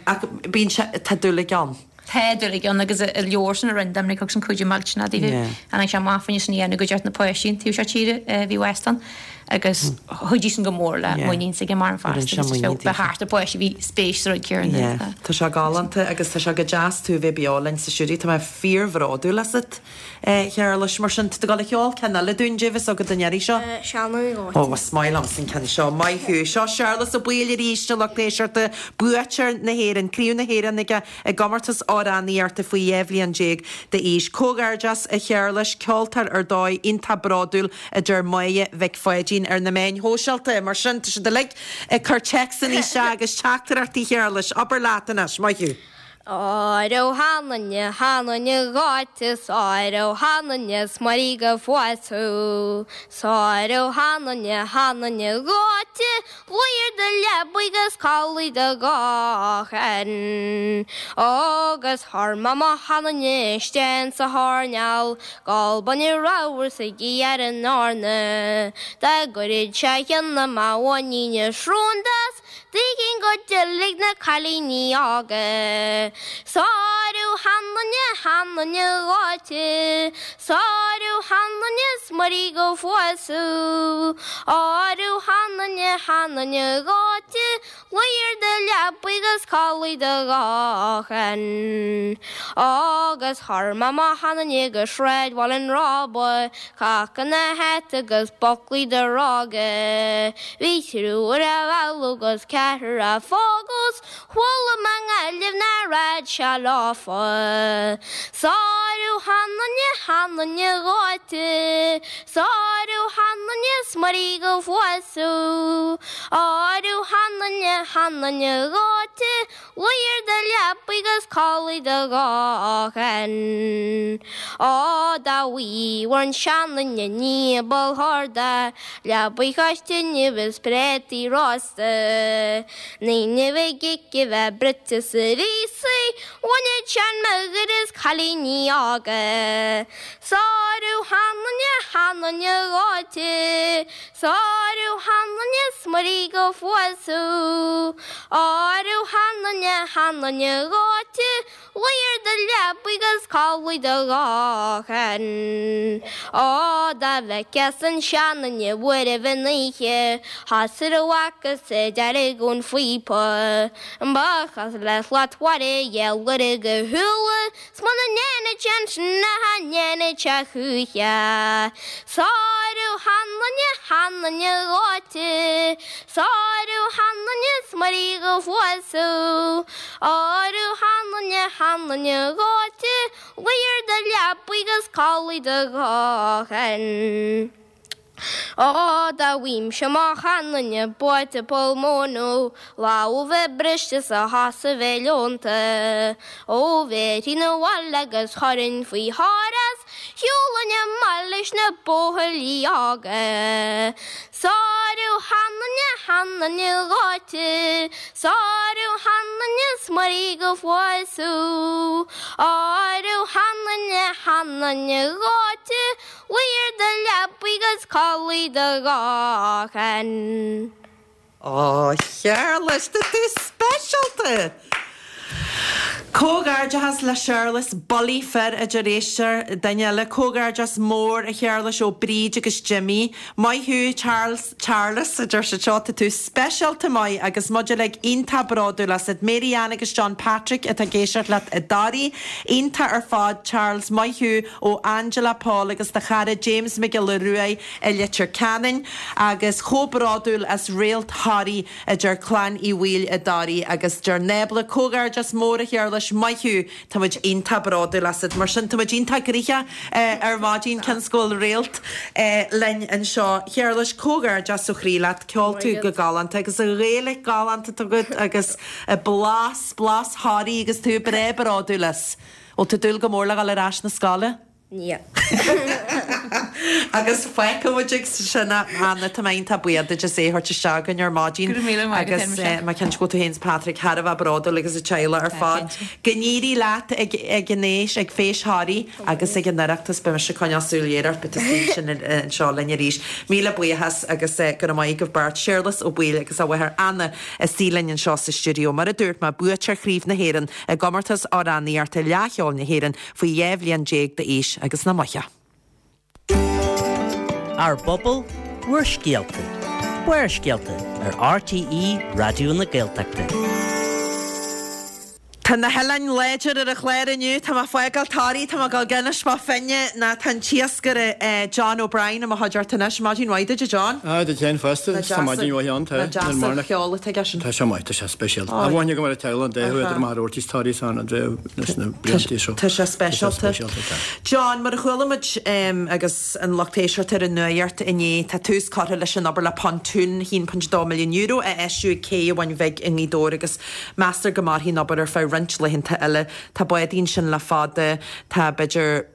Ach bíonn sé, tá dúil ann. Tá dúil ann agus an leabhar sin a rinne Doiminic thug sin cuidiú millteanach daofa. Tháinig sé amach faoin sin a dhéanamh go dtearn na páistí an taobh seo tíre a bhí West ann agus chuidigh sin go mór le muinín s'aige mar an fosta agus just bheith thart ar pháistí a bhí spéis sa rud céanna. Yeah. Tá sé galánta agus tá sé go deas tú a bheith beo linn sa stiúideo. Tá mé fíorbhródúil asat. A Shéarlais, mar sin, tá tú ag dul a cheol ceann eile dúinn, cad é bhí agat an iarraidh seo? Seanadh Dhóite. Ó, is maith liomsa an ceann seo. Maith thú. Seo Séarlas Ó Baoill arís, a lucht éisteachta, buaiteoir na hÉireann, Craobh na hÉireann aige i gcomórtas amhránaíochta faoi 12 bhliain d'aois. Comhghairdeas, a Shéarlais, ceoltóir ar dóigh, iontach bródúil, a deir Máire Mhic Pháidín ar na meáin shóisialta. Mar sin, tá siad uilig ag cur téacsanna isteach agus teachtaireachtaí, a Shéarlais. Abair leat anois. Maith thú. Áireamh th'anainne, th'anainne dhuit 's áireamh th'anainne 's mairg go bhfuair tú 's áireamh th'anainne, th'anainne dhuit luí ar do leabaidh agus codlaigh do dhochan Agus chuir mé mo sheanduine isteach sa choirneál Gol bainne ramhar 's ag iarraidh an eorna Dá gcuirfeadh sé a cheann i mo mhuinín a srón de 's D'fhéichinn go dtuillfidh na cailíní óga. Sárú sheanduine, sheanduine dhuit, Sárú sheanduine 's mairg go bhfuair tú. Árú sheanduine, sheanduine dhuit, Luí ar do leabaidh agus codlaigh do dhochan. Agus chuir mé mo sheanduine go Sráidbhaile an Róba, Cac ina hata agus buclaí de rogha. Bhí triúr á mhealladh agus ceathrar á phógadh 's chuala mé i nGaillimh nach raghadh sé leofa. Sárú sheanduine, sheanduine dhuit, Sárú sheanduine 's mairg go bhfuair tú. Árú sheanduine, sheanduine dhuit, Luí ar do leabaidh agus codlaigh do dhochan. Ó dá bhfuair an seanduine ní ba shorda, leabaidh chois tine is préataí rósta. Ní bheidh ag a bheith bruite sa ríosaí, bhaineadh seanmháthair is cailíní óga. Sárú sheanduine, sheanduine dhuit. Sárú sheanduine 's mairg go bhfuair tú. Árú sheanduine, sheanduine dhuit, Luí ar do leabaidh agus codlaigh do dhochan. Ó dá bhfeiceas an seanduine buaireamh in oíche, Thosaigh a bhfacas ag dearg ón phíopa. Ba chosúil le slat mhara gheal lorg a shúile, 'S muna ndéanfaidh sé ansin cha ndéanfaidh sé choíche. Sárú sheanduine, sheanduine dhuit, Sárú sheanduine 's mairg go bhfuair tú. Árú sheanduine, sheanduine dhuit, Luí ar do leabaidh agus codlaigh do dhochan. Ó, dá bhfaighimse mo sheanduine buailte poll móna, Lámh a bheith briste 's a chosa a bheith leonta. Ó, bhéarfainn abhaile agus chuirfinn faoi thóir é 's shiúlfainn amach leis na buachaillí óga. Sárú sheanduine, sheanduine dhuit, Sárú sheanduine 's mairg go bhfuair tú. Árú sheanduine, sheanduine dhuit, Luí ar do leabaidh agus codlaigh do dhochan. Ó, Shéarlais, tá tú speisialta! Comhghairdeachas le Séarlas, Bullaí fir a deir éisteoir, duine eile. Comhghairdeas mór a Shéarlais ó Bríd agus Jimí. Maith thú Charles, Charles a deir siad seo, tá tú speisialta maith agus muid uilig iontach bródúil asat. Mary Ann agus John Patrick atá ag éisteacht leat i dToraí. Iontach ar fad Charles, maith thú ó Angela, Paul agus do chara James Mac Giolla Ruaidh i Leitir Ceanainn. Agus chomh bródúil as Réalt Thoraí a deir Clann Uí Bhaoill i dToraí agus deir Nábla, Comhghairdeas mór a Shéarlais, maith thú, tá muid iontach bródúil asat. Mar sin, tá muid iontach gnoitheach ar maidin, cionn is go bhfuil réalt linn anseo. Shéarlais, comhghairdeas ó chroí leat, ceol tú go galánta agus an Ghaeilge galánta agat agus blas, blas Thoraí agus tú breá bródúil as. Bhfuil tú ag dúil go mór le dhul ar ais na scoile? Níl. Agus fágfaidh muid ag sin é Anna, tá mé iontach buíoch duit as é a thabhairt isteach againn ar maidin. Go raibh míle maith agat Agus mé cinnte go bhfuil tú féin is Patrick thar a bheith bródúil agus an teaghlach ar fad. Go n-éirí leat ag ag an fhéis, ag Feis Thoraí agus ag an Oireachtas. Beidh mise ag coinneáil súil ghéar ort, beidh tú istigh ansin anseo linn arís. Míle buíochas agus go raibh maith agaibh beirt, Séarlas Ó Baoill agus a mháthair Anna istigh linn anseo sa stiúideo. Mar a dúirt mé, buaiteoir Chraobh na hÉireann i gcomórtas amhránaíochta Fhleadh Cheoil na hÉireann faoi 12 bhliain d'aois agus na maithe. Ár bpobal, bhur scéalta. Barrscéalta ar RTÉ Raidió na Gaeltachta. Tá na hoileáin láidir ar an chlár inniu. Tá mé ag fágáil Toraí, tá mé ag dul go hInis Bó Finne ná tá an t-iascaire John O'Brien i mo chuideachta anois. Maidin mhaith duit a John. Ah, duit féin fosta. Tá maidin mhaith ann, tá. Nach deas an ceol atá aige sin. Tá sé maith, tá sé speisialta. Á bhain go mar a teaghlach an dá thuaidh idir Machaire Rabhartaigh is Toraí san an dréimh leis na blianta seo. Tá sé speisialta. John, mar a chuala muid agus an lucht éisteachta ar an nuacht inné, tá tús curtha leis an obair le pontún €1.2 milliún a fheistiú ag Cé an Bhun Bhig i nGaoth Dobhair agus meastar go mairfidh an obair ar feadh roinnt laethanta eile. Tá bádaí ansin le fada, tá b'fhéidir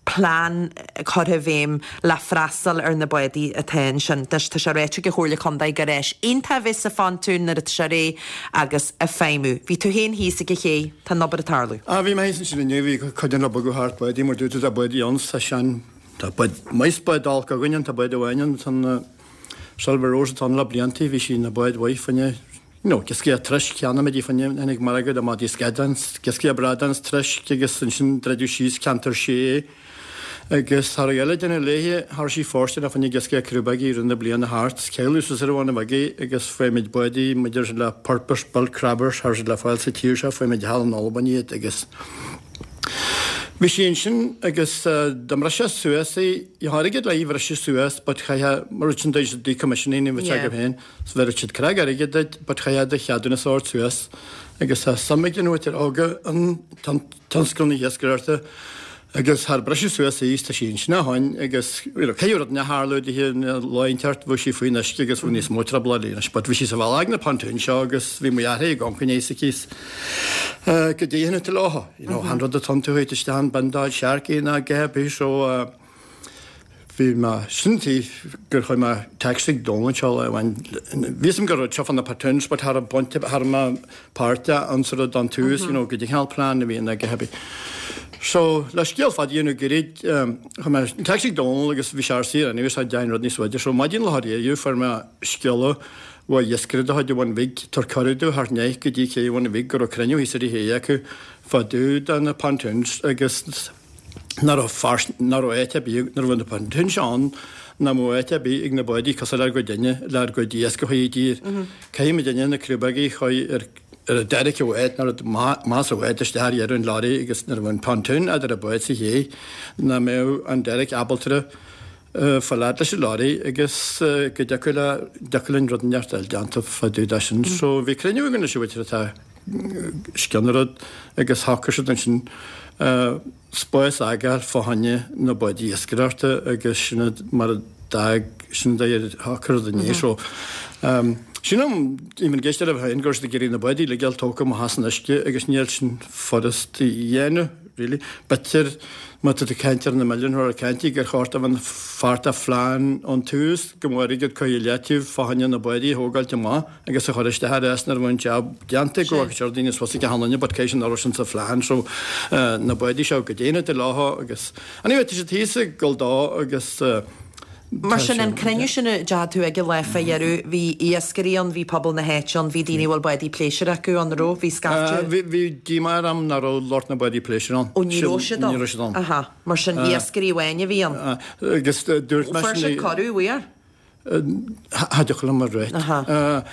plean curtha i bhfeidhm le freastal ar na bádaí atá ansin. Anois tá sé ráite ag an Chomhairle Contae gur áis iontach a bheas sa phontún nuair atá sé réidh agus ag feidhmiú. Bhí tú féin thíos ag an ché, tá an obair ag tarlú. Ah bhí mé thíos ansin inniu, bhí cuid den obair go thart, bádaí mar dúirt tú tá bádaí ann, tá sean, tá bád, maith is bád olc againn ann, tá bád amháin ann, tá an Silver Rose atá ann le blianta, bhí sí ina bád mhaith fá choinne, you know, iascaigh troisc, cheannaigh muid í fá choinne, tháinig margadh do mhadaí scadán, iascaigh bradán is troisc agus ansin druideadh síos ceantar sé agus cha raibh eile déanamh léithe, cha raibh sí fóirsteanach fá choinne iascaigh crúbógaí i rith na bliana thart, cailleadh suas ar an Bhun Bhig í agus fuair muid bádaí maidir le purpose built crabbers, cha raibh siad le fáil sa tír seo, fuair muid thall in Albain iad agus bhí sí ansin agus dá mbrisfeá suas í, gheofá airgead le í bhriseadh suas but chaithfeá, mar sin decommissioning a bheadh agaibh féin. 's bhéarfadh siad creag airgid duit but chaithfeá do cheadúnas a thabhairt suas agus tá suim ag na mhuintir óga in tionscal na hiascaireachta agus char briseadh suas í 's tá sí ansin ó shoin agus you know caithfidh rud inteacht tharlú dithe lá inteacht bheadh sí faoin uisce agus bheadh níos mó trioblóidí anois but bhí sí sa bhealach ag na pontoons seo agus bhí mo dheartháir ag amharc s'aici 's go dtéann tú leo you know chan rud atá iontu théid isteach an bindáil searcaí ná a dhath ar bith so Bhí mé sin tí gur chuir mé text ag Dónal anseo lá amháin. Bhí fhios agam go raibh seo fá na pontoons but cha raibh baint cha raibh mé páirteach ann sa rud ón tús you know goidé an cineál plean a bhí ann ag a So le scéal fada a dhéanamh gairid chuir mé text ag Dónal agus bhí sé ar saor anyway so déan rud níos faide. So maidin lá aréir fuair mé scéala ó iascaire de chuid an Bhun Bhig tabhair cuireadh domh theacht aníos go dtí cé an Bhun Bhig go raibh cruinniú thíos ar an ché acu fá dtaobh de na pontoons agus nach raibh fear, nach raibh áit ar bith, nach raibh na pontoons ann, nach mbeadh áit ar bith ag na bádaí cosúil lenár gcuid duine, lenár gcuid iasc a chur i dtír. Caithfidh muid duine na crúbógaí a chur ar ar an derrick i bhfad, nuair a más i bhfad isteach ar dheireadh an lorry agus nuair a bheadh an pontoon eadar an bád sa ché, nach mbeadh an derrick ábalta fáil fhad leis an lorry agus go dtiocfadh le, dtiocfadh linn rud inteacht a fháil déanta fá dtaobh de sin. So bhí cruinniú againn leis an mhuintir atá scian an rud agus shocraigh siad ansin spás a fhágáil fá choinne na bádaí iascaireachta agus sin mar a d'fhág sin a shocraigh rud inné. So sílim, even ag éisteacht libh féin, go raibh siad ag iarraidh na bádaí uilig a fháil tógtha amach as an uisce agus níl sin furast a dhéanamh really. B'fhéidir má tá tú ag caint ar na milliúin a caint gur chóir dó bheith páirt de phlean ón tús go mbeadh airgead curtha i leataobh fá choinne na bádaí a thógáilt amach. agus a chur isteach ar ais nuair a bheadh an jab déanta go bhfaca sé daoine suas ag achan duine but caithfidh sé nach raibh sin sa phlean so na bádaí seo go déanamh de leotha agus anyway tá siad thíos ag dul dó agus. Mar sin, an cruinniú sin a dteachaigh tú aige lá fá dheireadh, bhí iascairí ann, bhí pobal na háite ann, bhí daoine a bhfuil bádaí pléisiúir acu ann, an raibh? Bhí scaifte. Bhí díomá orm nach raibh lucht na bádaí pléisiúir ann. Ó, ní raibh siad ann? Ní raibh siad ann. Aha. Mar sin, iascairí amháin a bhí ann. Agus dúirt mé sin. Fuair siad cuireadh, bhfuair? Cha dtiocfadh liom a ráit.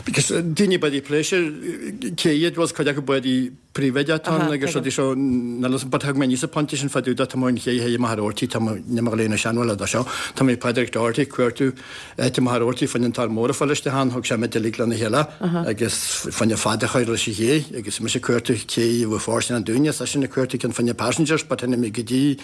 Because daoine bádaí pléisiúir, cé iad, bhuel, cuid acu bádaí príobháideach atá ann agus rudaí so, níl fhios, but thug mé aníos an pointe sin fá dtaobh de, tá mé an ché théigh amach ar Doherty, tá mé, níl mé ag léamh na seanbhaile do seo, tá mé Pádraig Doherty ag cuartú áit amach ar Doherty fá choinne an tor mór a fáil isteach ann, thug sé muid uilig lena chéile agus fá choinne fad a chur leis an ché agus mise ag cuartú cé a bhfuil fóirstean dúinne, seisean ag cuartú ceann fá choinne passengers but tháinig mé go dtí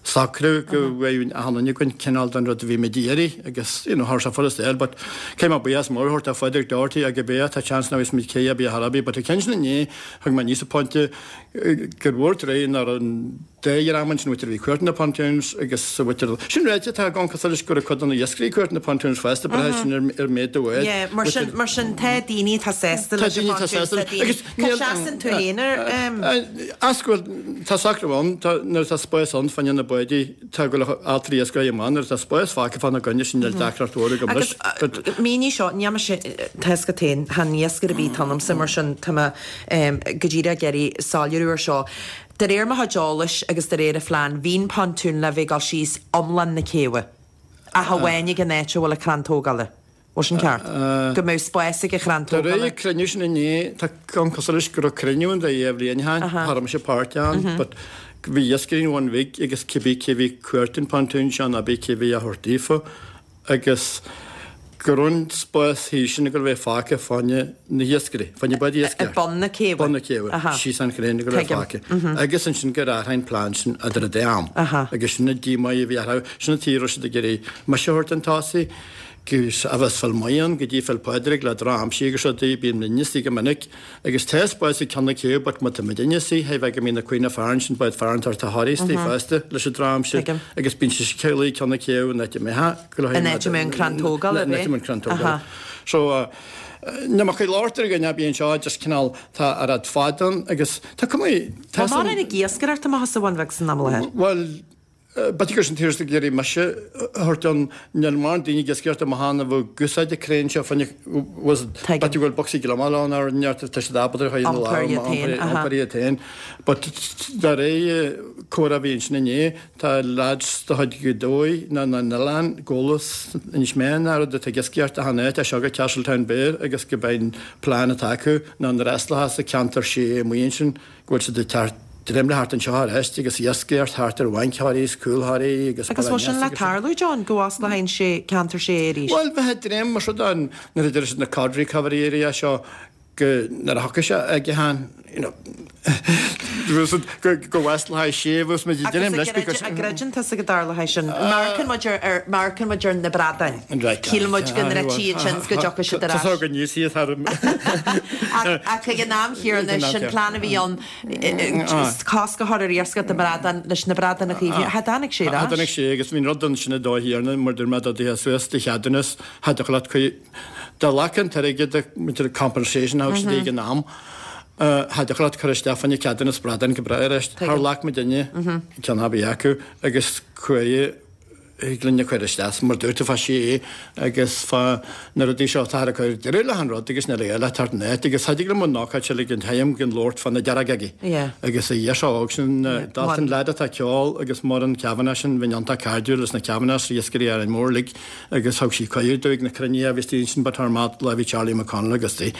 socrú go bhfaigheadh achan duine againn cineál den rud a bhí muid ag iarraidh agus you know tharla sé furast air but caithfidh mé buíochas mór a thabhairt do Phádraig Doherty ag bea tá chance nach bhfios muid cé a bhí ar bith but an ceann sin inné thug mé aníos an pointe gur mhór tréith nach raibh an dá dhream ansin an mhuintir a bhí ag cuartú na pontoons agus an mhuintir sin ráite tá gan cosúil leis go raibh cuid de na iascairí ag cuartú na pontoons fosta braitheann sin ar ar méid do bhád Yeah mar sin mar sin tá daoine atá sásta Tá leis an daoine atá pontoons sásta tá daoine agus Cá seasann tú féin ar As go bhfuil, tá socrú ann, tá, nuair atá spás ann fá choinne na bádaí, tá go leor altraí iascaigh amach, nuair atá spás fágtha fána gcoinne sin níl deacracht mhór agam leis. Agus mínigh seo, níl mise, tá fhios agat féin, chan iascaire ar bith atá ionamsa mar sin tá mé go díreach ag iarraidh soiléiriú ar seo. De réir mo chuid eolais agus de réir an phlean, bhí an pontún le bheith ag dul síos iomlán na céibhe, ach amháin ag an áit a bhfuil an crann tógála. Bhfuil sin ceart? Go mbeadh spás ag an chrann De tógála. réir an cruinniú sin inné, tá ceann cosúil leis go raibh cruinniú ann de dhá bhliain ó shin, cha raibh mise páirteach ann, but bhí iascairí an Bhun Bhig agus cibé cé bhí ag cuartú an pontoon seo nó cibé cé bhí á thabhairt daofa agus go raibh an spás thíos sin ag dul a bheith fágtha fá choinne na hiascairí, fá choinne báid iascaire. Ag bun na céibhe. Bun na céibhe, síos an chéibh ag dul a bheith fágtha. Agus ansin gur athraigh an plean sin idir an dá am. Agus sin an díomá a bhí orthu, sin an tuige a raibh siad ag iarraidh mise a thabhairt chun tosaigh, Gus a bheas fil maith ann go dtí fil Pádraig le droch-aimsir agus rudaí, bíonn muidne istigh go minic agus tá spás ag ceann na céibhe but má tá muidinne istigh hé bheith go mbíonn na cuimhne fearann sin bád fearann tar tá Harry istigh fosta leis an droch-aimsir agus bíonn sé céilí ceann na céibhe in áit a mbeadh go In áit a mbeadh an crann tógála, In áit a mbeadh an crann tógála. So ní maith labhairt ar dhuine bíonn seo just cineál tá a raibh fad ann agus tá cuma tá Tá mórán ag iascaireacht amach as an Bhun Bheag san am i láthair. Bhuel B'fhéidir gur sin turas ag iarraidh mise a thabhairt ann. Níl mórán daoine ag iascaireacht amach ann a bheadh ag úsáid an crane seo fá choinne b'fhéidir go bhfuil bocsaí gliomaigh ann ar neart tá siad ábalta a chur ina lámh iompar iad féin. But de réir comhrá a bhí ansin inné tá lads de chuid Ghaoth Dobhair nó na n-oileán Gólas Inis Meáin ná rud atá ag iascaireacht achan áit as seo go Castletownbere agus go mbeidh an plean atá acu ná na breaslacha sa ceantar sé amuigh ansin go bhfuil siad ag teacht droim le thart anseo arís agus iascaireacht thart ar bhainc Thoraí is cúl Thoraí agus Agus bhfuil sin le tarlú, John, go bhfosclóidh an sé ceantar sé arís? Bhuel, bheith ag dréim mar seo don nuair a deir siad na cod recovery area seo go nuair a thiocfaidh sé ag an you know go go bhfosclóidh sé bhus muid ag dréim leis because An gcreideann tusa go dtarlóidh sin? Amharcann muid ar ar amharcann muid ar na bradáin. Right. Shíl muid go ndruidfí ansin 's go dtiocfadh siad ar ais. Tá go n-íosfaidh thar Ach ag an am chéanna, sin plean a bhí ann, cosc a chur ar iascaireacht na mbradán leis na bradáin a chaomhnú. Cha dtáinig sé ar ais. Cha dtáinig sé agus bhí an rud ansin i dóigh thiarna mar dúirt mé dá dtiocfá suas do cheadúnas, cha dtiocfadh leat cuid dá ghlac an t-airgead muintir compensation a thug siad ag an am, cha dtiocfadh leat cur isteach fá choinne ceadúnas bradán go bráth arís. Char ghlac muidinne ceann ar bith acu agus chuaigh Thig linn a chur isteach mar dúirt tú fá sé agus fá na rudaí seo atáthar ag cur deireadh le an rud agus níl a fhios leat thart an áit agus thig liom an ócáid seo ag an tseim gan labhairt fá na deargagaí agus a fhear seo óg sin Dalton leaid atá ag ceol agus Muireann Kavanagh sin bhí iontach cairdiúil leis na Kavanaghs iascairí Árainn Mhór uilig agus thug sí cuireadh dúinn ag na cruinnithe a bhí istigh ansin but thar maith lá bhí Charlie McConnell agus di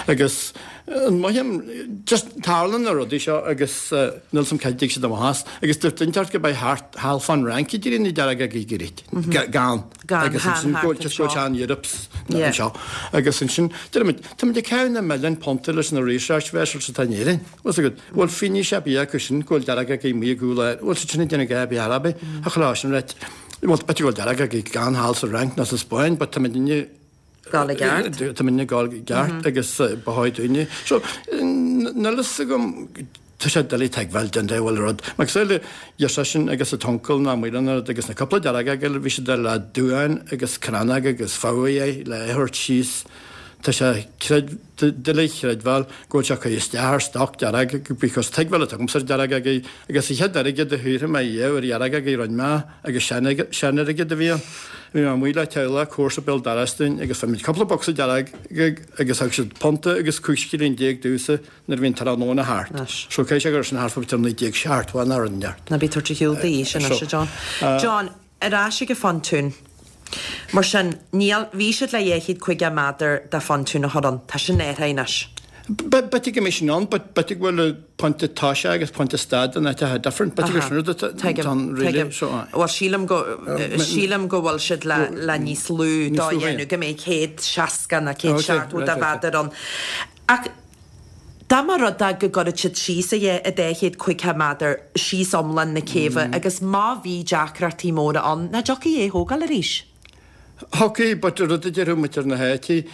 agus An mothaím, just tarlaíonn na rudaí seo agus níl 's a'm cá dtig siad amach as agus dúirt duine inteacht go mbeidh thart thall fán Fhrainc i dtír na deargagaí go gan agus ansin go just go tean Europe's anseo agus ansin deirimid táimid ag caitheamh na milliún punta leis na research vessels atá in Éirinn bhfuil agat bhfuil fianaise ar bith acu sin go bhfuil deargagaí amuigh i gcúl air bhfuil siad sin ag déanamh gá bith ar bith a chlá sin right bhuel b'fhéidir go bhfuil deargagaí gan thall sa Fhrainc nó sa Spáinn but táimid inniu Gabháil i gceart. Tá muidne ag gabháil i gceart agus ba chóir dúinne. So, níl fhios agam, tá sé doiligh tuigbheáil den dá bhfuil rud. Mar cosúil le seisean agus a t-uncail ná Maoileann an rud agus na cúpla dearg aige, bhí siad le duáin agus crannóg agus fogha le thabhairt síos. Tá sé doiligh a chreidbheáil go bhfuil sé ag cur isteach ar stoc dearg because tuigbheáil atá agamsa ar dearg-agaí agus an chéad airgead a shaothraigh mé riamh ar dhearg-agaí rinne mé agus sean-airgead a bhí ann. Bhí mé amuigh le teaghlach comharsa béal dorais dúinn agus fuair muid cúpla bocsa dearg-agaí agus thug siad punta agus 15 scilling domhsa nuair a bhí an tráthnóna thart. So caithfidh sé go raibh sin thart fá 1970 nó rud inteacht. Ná bí ag tabhairt ar shiúl d'aois anois, a John. John, Ar ais ag an phontún. Mar sin, níl, bhí siad le 250 méadar de phontún a chur ann. Tá sin athraithe anois. B'fhéidir go mbeidh sin ann but b'fhéidir go bhfuil pointe toise agus pointe stad in áiteacha different. B'fhéidir gur sin rud atá ann really. Tuigim, tuigim. Bhuel, sílim go, sílim go bhfuil siad le, le níos lú dó a dhéanamh, go mbeidh 160 nó 170 de mhéadar ann. Ach dá mba rud é go gcuirfeadh siad síos é i 250 méadar síos iomlán na céibhe agus má bhí deacrachtaí móra ann, nach dtiocfaí é a thógáil arís? Thiocfaí, but rud a déarfadh muintir na háite,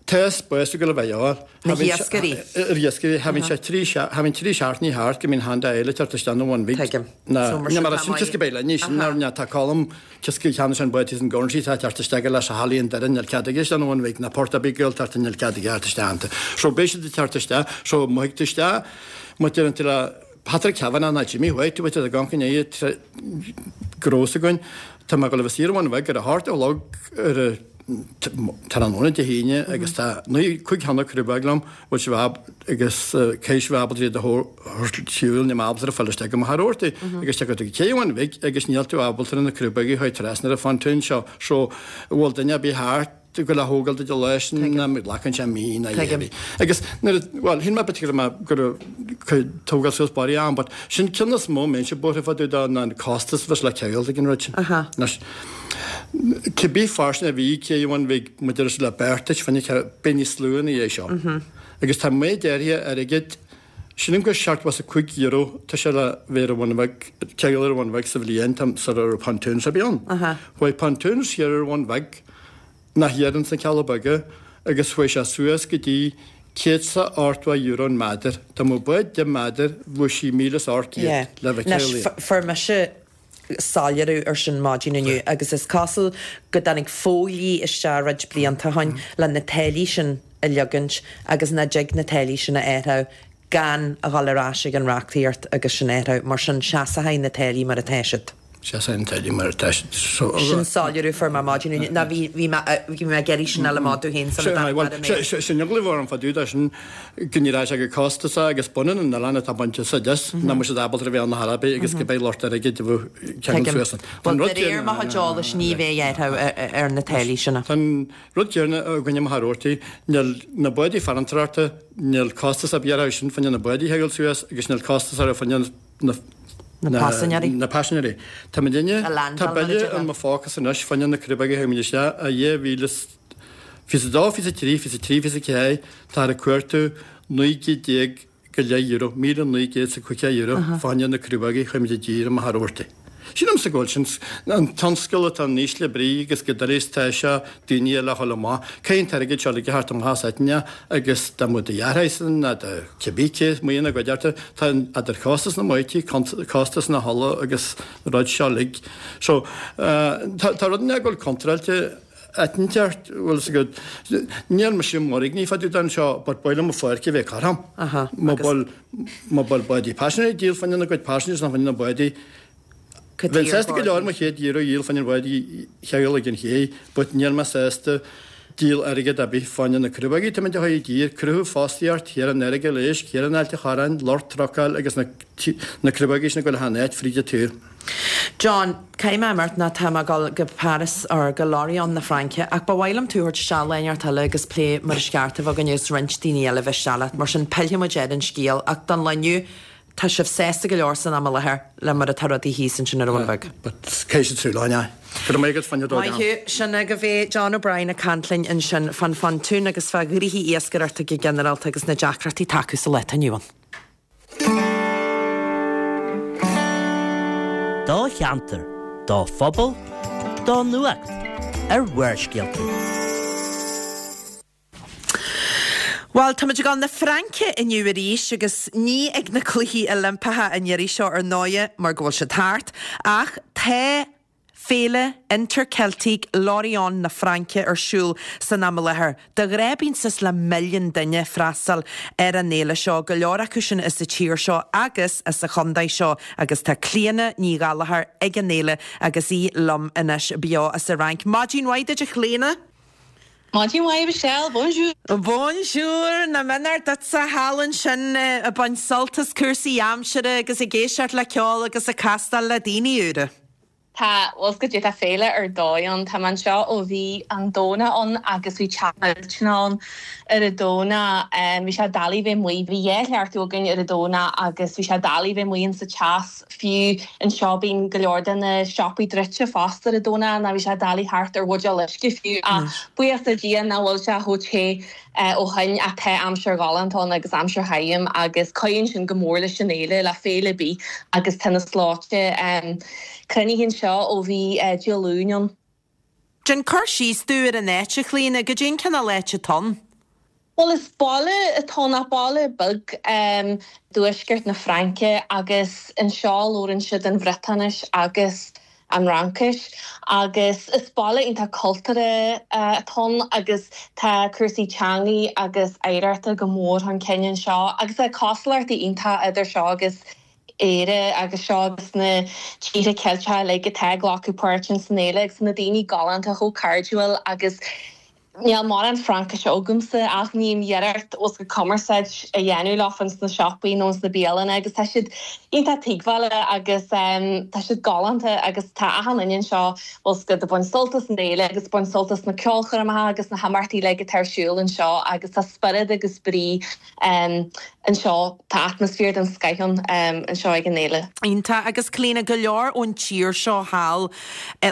tá spás ag dul a bheith ann. Na hiascairí. Ar iascairí, cha bhíonn sé trí, cha bhíonn trí seachtainí thart go mbíonn handa eile ag teacht isteach na Bhun Bhig. Tuigim. Na, ní mar sin, cos go beidh linn, sin ná tá Colm Cos go cheannaigh sé an bád thíos in Guernsey tá teacht isteach leis a hAilí an Doire níl cead aige isteach an Bhun Bhig ná port ar bith Gaeltachta níl cead aige theacht isteach iontu. So beidh siad ag teacht isteach so má thig tú isteach má deireann tú le Patrick Kavanagh ná Jimmy White bhfuil siad ag amharc i ndiaidh gnó s'againn tá mé ag dul a bheith saor Bhun Bhig ar a hocht a chlog ar a tráthnóna Dé hAoine agus tá 9, 5 cheann crúbóg liom, bhfuil sibh ab agus caithfidh sibh ábalta iad a thabhairt siúil, níl mé ábalta a fáil isteach go mo tharórtaí agus tiocfaidh tú go cé Bhun Bhig agus níl tú ábalta na crúbóga a chur trasna ar an phontún seo so bhfuil duine ar bith thart go le thógáil duit leis ná glacann sé mí ná dhá mhí. Agus nuair a, bhuel, shíl mé b'fhéidir go raibh mé go raibh tógáil suas barraí ann but sin ceann is mó mbeinnse buartha fá dtaobh de ná an costas a bheas le ceangal ag an rud sin. Anois, Cibé fairsinge a bhí cé Bhun Bhig maidir le beartais fuinnimh beidh níos lú ina dhiaidh seo. Agus tá méid áirithe airgid, sílim gur €75 tá sé le bheith ar an Bhun Bheag, ceangal ar an Bhun Bheag sa bhliain tá sara raibh pontoons ar bith ann. Chuaigh pontoons thiar ar an Bhun Bheag, nach thiar ins na Cealla Beaga, agus chuaigh sé suas go dtí €180 an méadar. Dá mbeadh bád 10 méadar bheadh sí 1,800 le bheith Anois, fuair mise soiléiriú ar sin maidin inniu agus is cosúil go dtáinig fodhlí isteach roinnt blianta ó shin le na táillí sin a leagaint agus nach dtig na táillí sin a athrú gan a dhul ar ais ag an reachtaíocht agus sin a athrú. Mar sin seasfaidh na táillí mar atá siad. Seasfaidh na táillí mar atá siad. Sin soiléiriú a fuair mé maidin inniu. Ná bhí bhí mé bhí mé ag iarraidh sin a fháil amach domh féin sula dtáinig mé ar an aer. Sin eagla a bhí orm fá dtaobh de sin. go n-éireoidh sé go costasach agus baineann an oileán atá bainte úsáid as, nach mbeidh siad ábalta a bheith ann ar chor ar bith agus go mbeidh lucht airgid a bheith ceangal suas ann. Bhuel, de réir mo chuid eolais ní bheidh athrú ar na táillí sin. Tá an rud céanna againne i Machaire Rabhartaigh, níl na bádaí farantóireachta, níl costas ar bith orthu sin fá choinne na bádaí a cheangal suas agus níl costas orthu fá choinne na Na paisinéirí. Na paisinéirí. Tá muidinne, tá bille in mo phócasa anois fá choinne na crúbóga a thug muid isteach i 2000 22, 23, 23, 24, táthar ag cuartú €19 go leith, €1,950 fá choinne na crúbógaí a chuir muid i dtír i Machaire Rabhartaigh. Sílimse go bhfuil sin an tionscal atá in ísle brí agus go doiligh is atá sé daoine eile a dhul amach. Caithfidh an t-airgead seo uilig a theacht amach as áiteanna agus dá mbeadh do dheartháir ná do cibé cé amuigh ina gcuideachta, tá idir chostas na mbáidí, costas na hola agus an rud seo uilig. So, tá rud inteacht go bhfuil contráilte. Áit inteacht, bhfuil fhios agat, níl mise mairgneach fá dtaobh den seo but ba mhaith liom mo pháirc a bheith cothrom. Má bhfuil, má bhfuil bádaí paisinéirí ag díol fá choinne na gcuid passengers ná fá choinne na bádaí, bheinn sásta go leor mo chéad euro a dhíol fá choinne an bhád a cheangal ag an ché but níl mé sásta díol airgead ar bith fá choinne na crúbógaí atá muid a chur i dtír, cruthú fostaíocht thiar in Earagail Éisc, thiar in Ailt a' Chorráin, lucht trucáil agus na, na crúbógaí sin ag dul achan áit fríd an tír. John, Caithfidh mé imeacht ná tá mé ag dul go Paris or go Lorient na Fraince ach ba mhaith liom tú a thabhairt isteach lá inteacht eile agus plé mar is ceart a bheith againn agus roinnt daoine eile a bheith isteach leat. Mar sin pillfidh muid ar an scéal ach don lá inniu tá sibh sásta go leor san am i láthair le mar atá rudaí thíos ansin ar an Bhun Bheag. But caithfidh siad súil ann, aye. Go raibh maith agat fá choinne dul Maith thú. Sin agaibh é John O'Brien ag caint linn ansin fán phontún agus fá ghnoithí iascaireachta go ginearálta agus na deacrachtaí atá acu sa lá atá inniu ann. Do cheantar, do phobal, do nuacht ar Bharrscéalta. Bhuel, táimid ag dul na Fraince inniu arís agus ní ag na Cluichí Oilimpeacha an iarraidh seo ar ndóighe mar go bhfuil siad thart, ach tá. Féile Interceltique Lorient na Fraince ar siúl san am i láthair. De ghnáth bíonn suas le milliún duine ag freastal ar an fhéile seo, go leor acu sin as an tír seo agus as an chontae seo agus tá Clíona Ní Ghallchóir ag an fhéile agus í liom anois beo as an Fhrainc. Maidin mhaith duit a Chlíona! Maidin mhaith Michelle, bonjour! Bonjour! Nach méanar duitse thall ansin ag baint sult as cúrsaí aimsire agus ag éisteacht le ceol agus ag castáil le daoine úra. Tá, bhuel goidé, tá féile ar dóigh ann. Tá mé anseo ó bhí an Domhnach ann agus bhí teas millteanach ann ar an Domhnach. Bhí sé doiligh bheith amuigh. Bhí dhá chleachtadh againn ar an Domhnach agus bhí sé doiligh bheith amuigh insa teas. Fiú anseo bíonn go leor de na siopaí druidte fosta ar an Domhnach ná bhí sé doiligh theacht ar bhuidéal uisce fiú. Ach buíochas le Dia nach bhfuil sé chomh te ó shoin ach tá aimsir ghalánta ann agus aimsir thirim agus cuidíonn sin go mór leis an fhéile, le féile ar bith agus tá na slóite cruinnithe anseo ó bhí Dé Luain ann. Déan cur síos domh ar an áit, a Chlíona, goidé an cineál áit atá ann? Bhuel is baile atá ann, baile beag i dtuaisceart na Fraince agus anseo labhrann siad an Bhriotáinis agus an Fhraincis agus is baile iontach cultúrtha atá ann agus tá cúrsaí teangaí agus oidhreachta go mór chun cinn anseo agus tá cosúlachtaí iontach idir seo agus Éire agus seo agus na tíortha Ceilteacha uilig atá ag glacadh páirt ins an fhéile agus na daoine galánta chomh cairdiúil agus Níl mórán Fraincise agamsa ach ním iarracht os go cumarsáid a dhéanamh leofa ins na siopaí nó ins na bialanna agus tá siad iontach tuigbheála agus tá siad galánta agus tá achan duine anseo bhfuil 's agat ag baint sult as an fhéile agus ag baint sult as na ceolchoirmeacha agus na himeachtaí uilig atá ar siúl anseo agus tá spiorad agus brí anseo, tá atmaisféar den scoith ann anseo ag an fhéile. Iontach. Agus Clíona, go leor ón tír seo thall,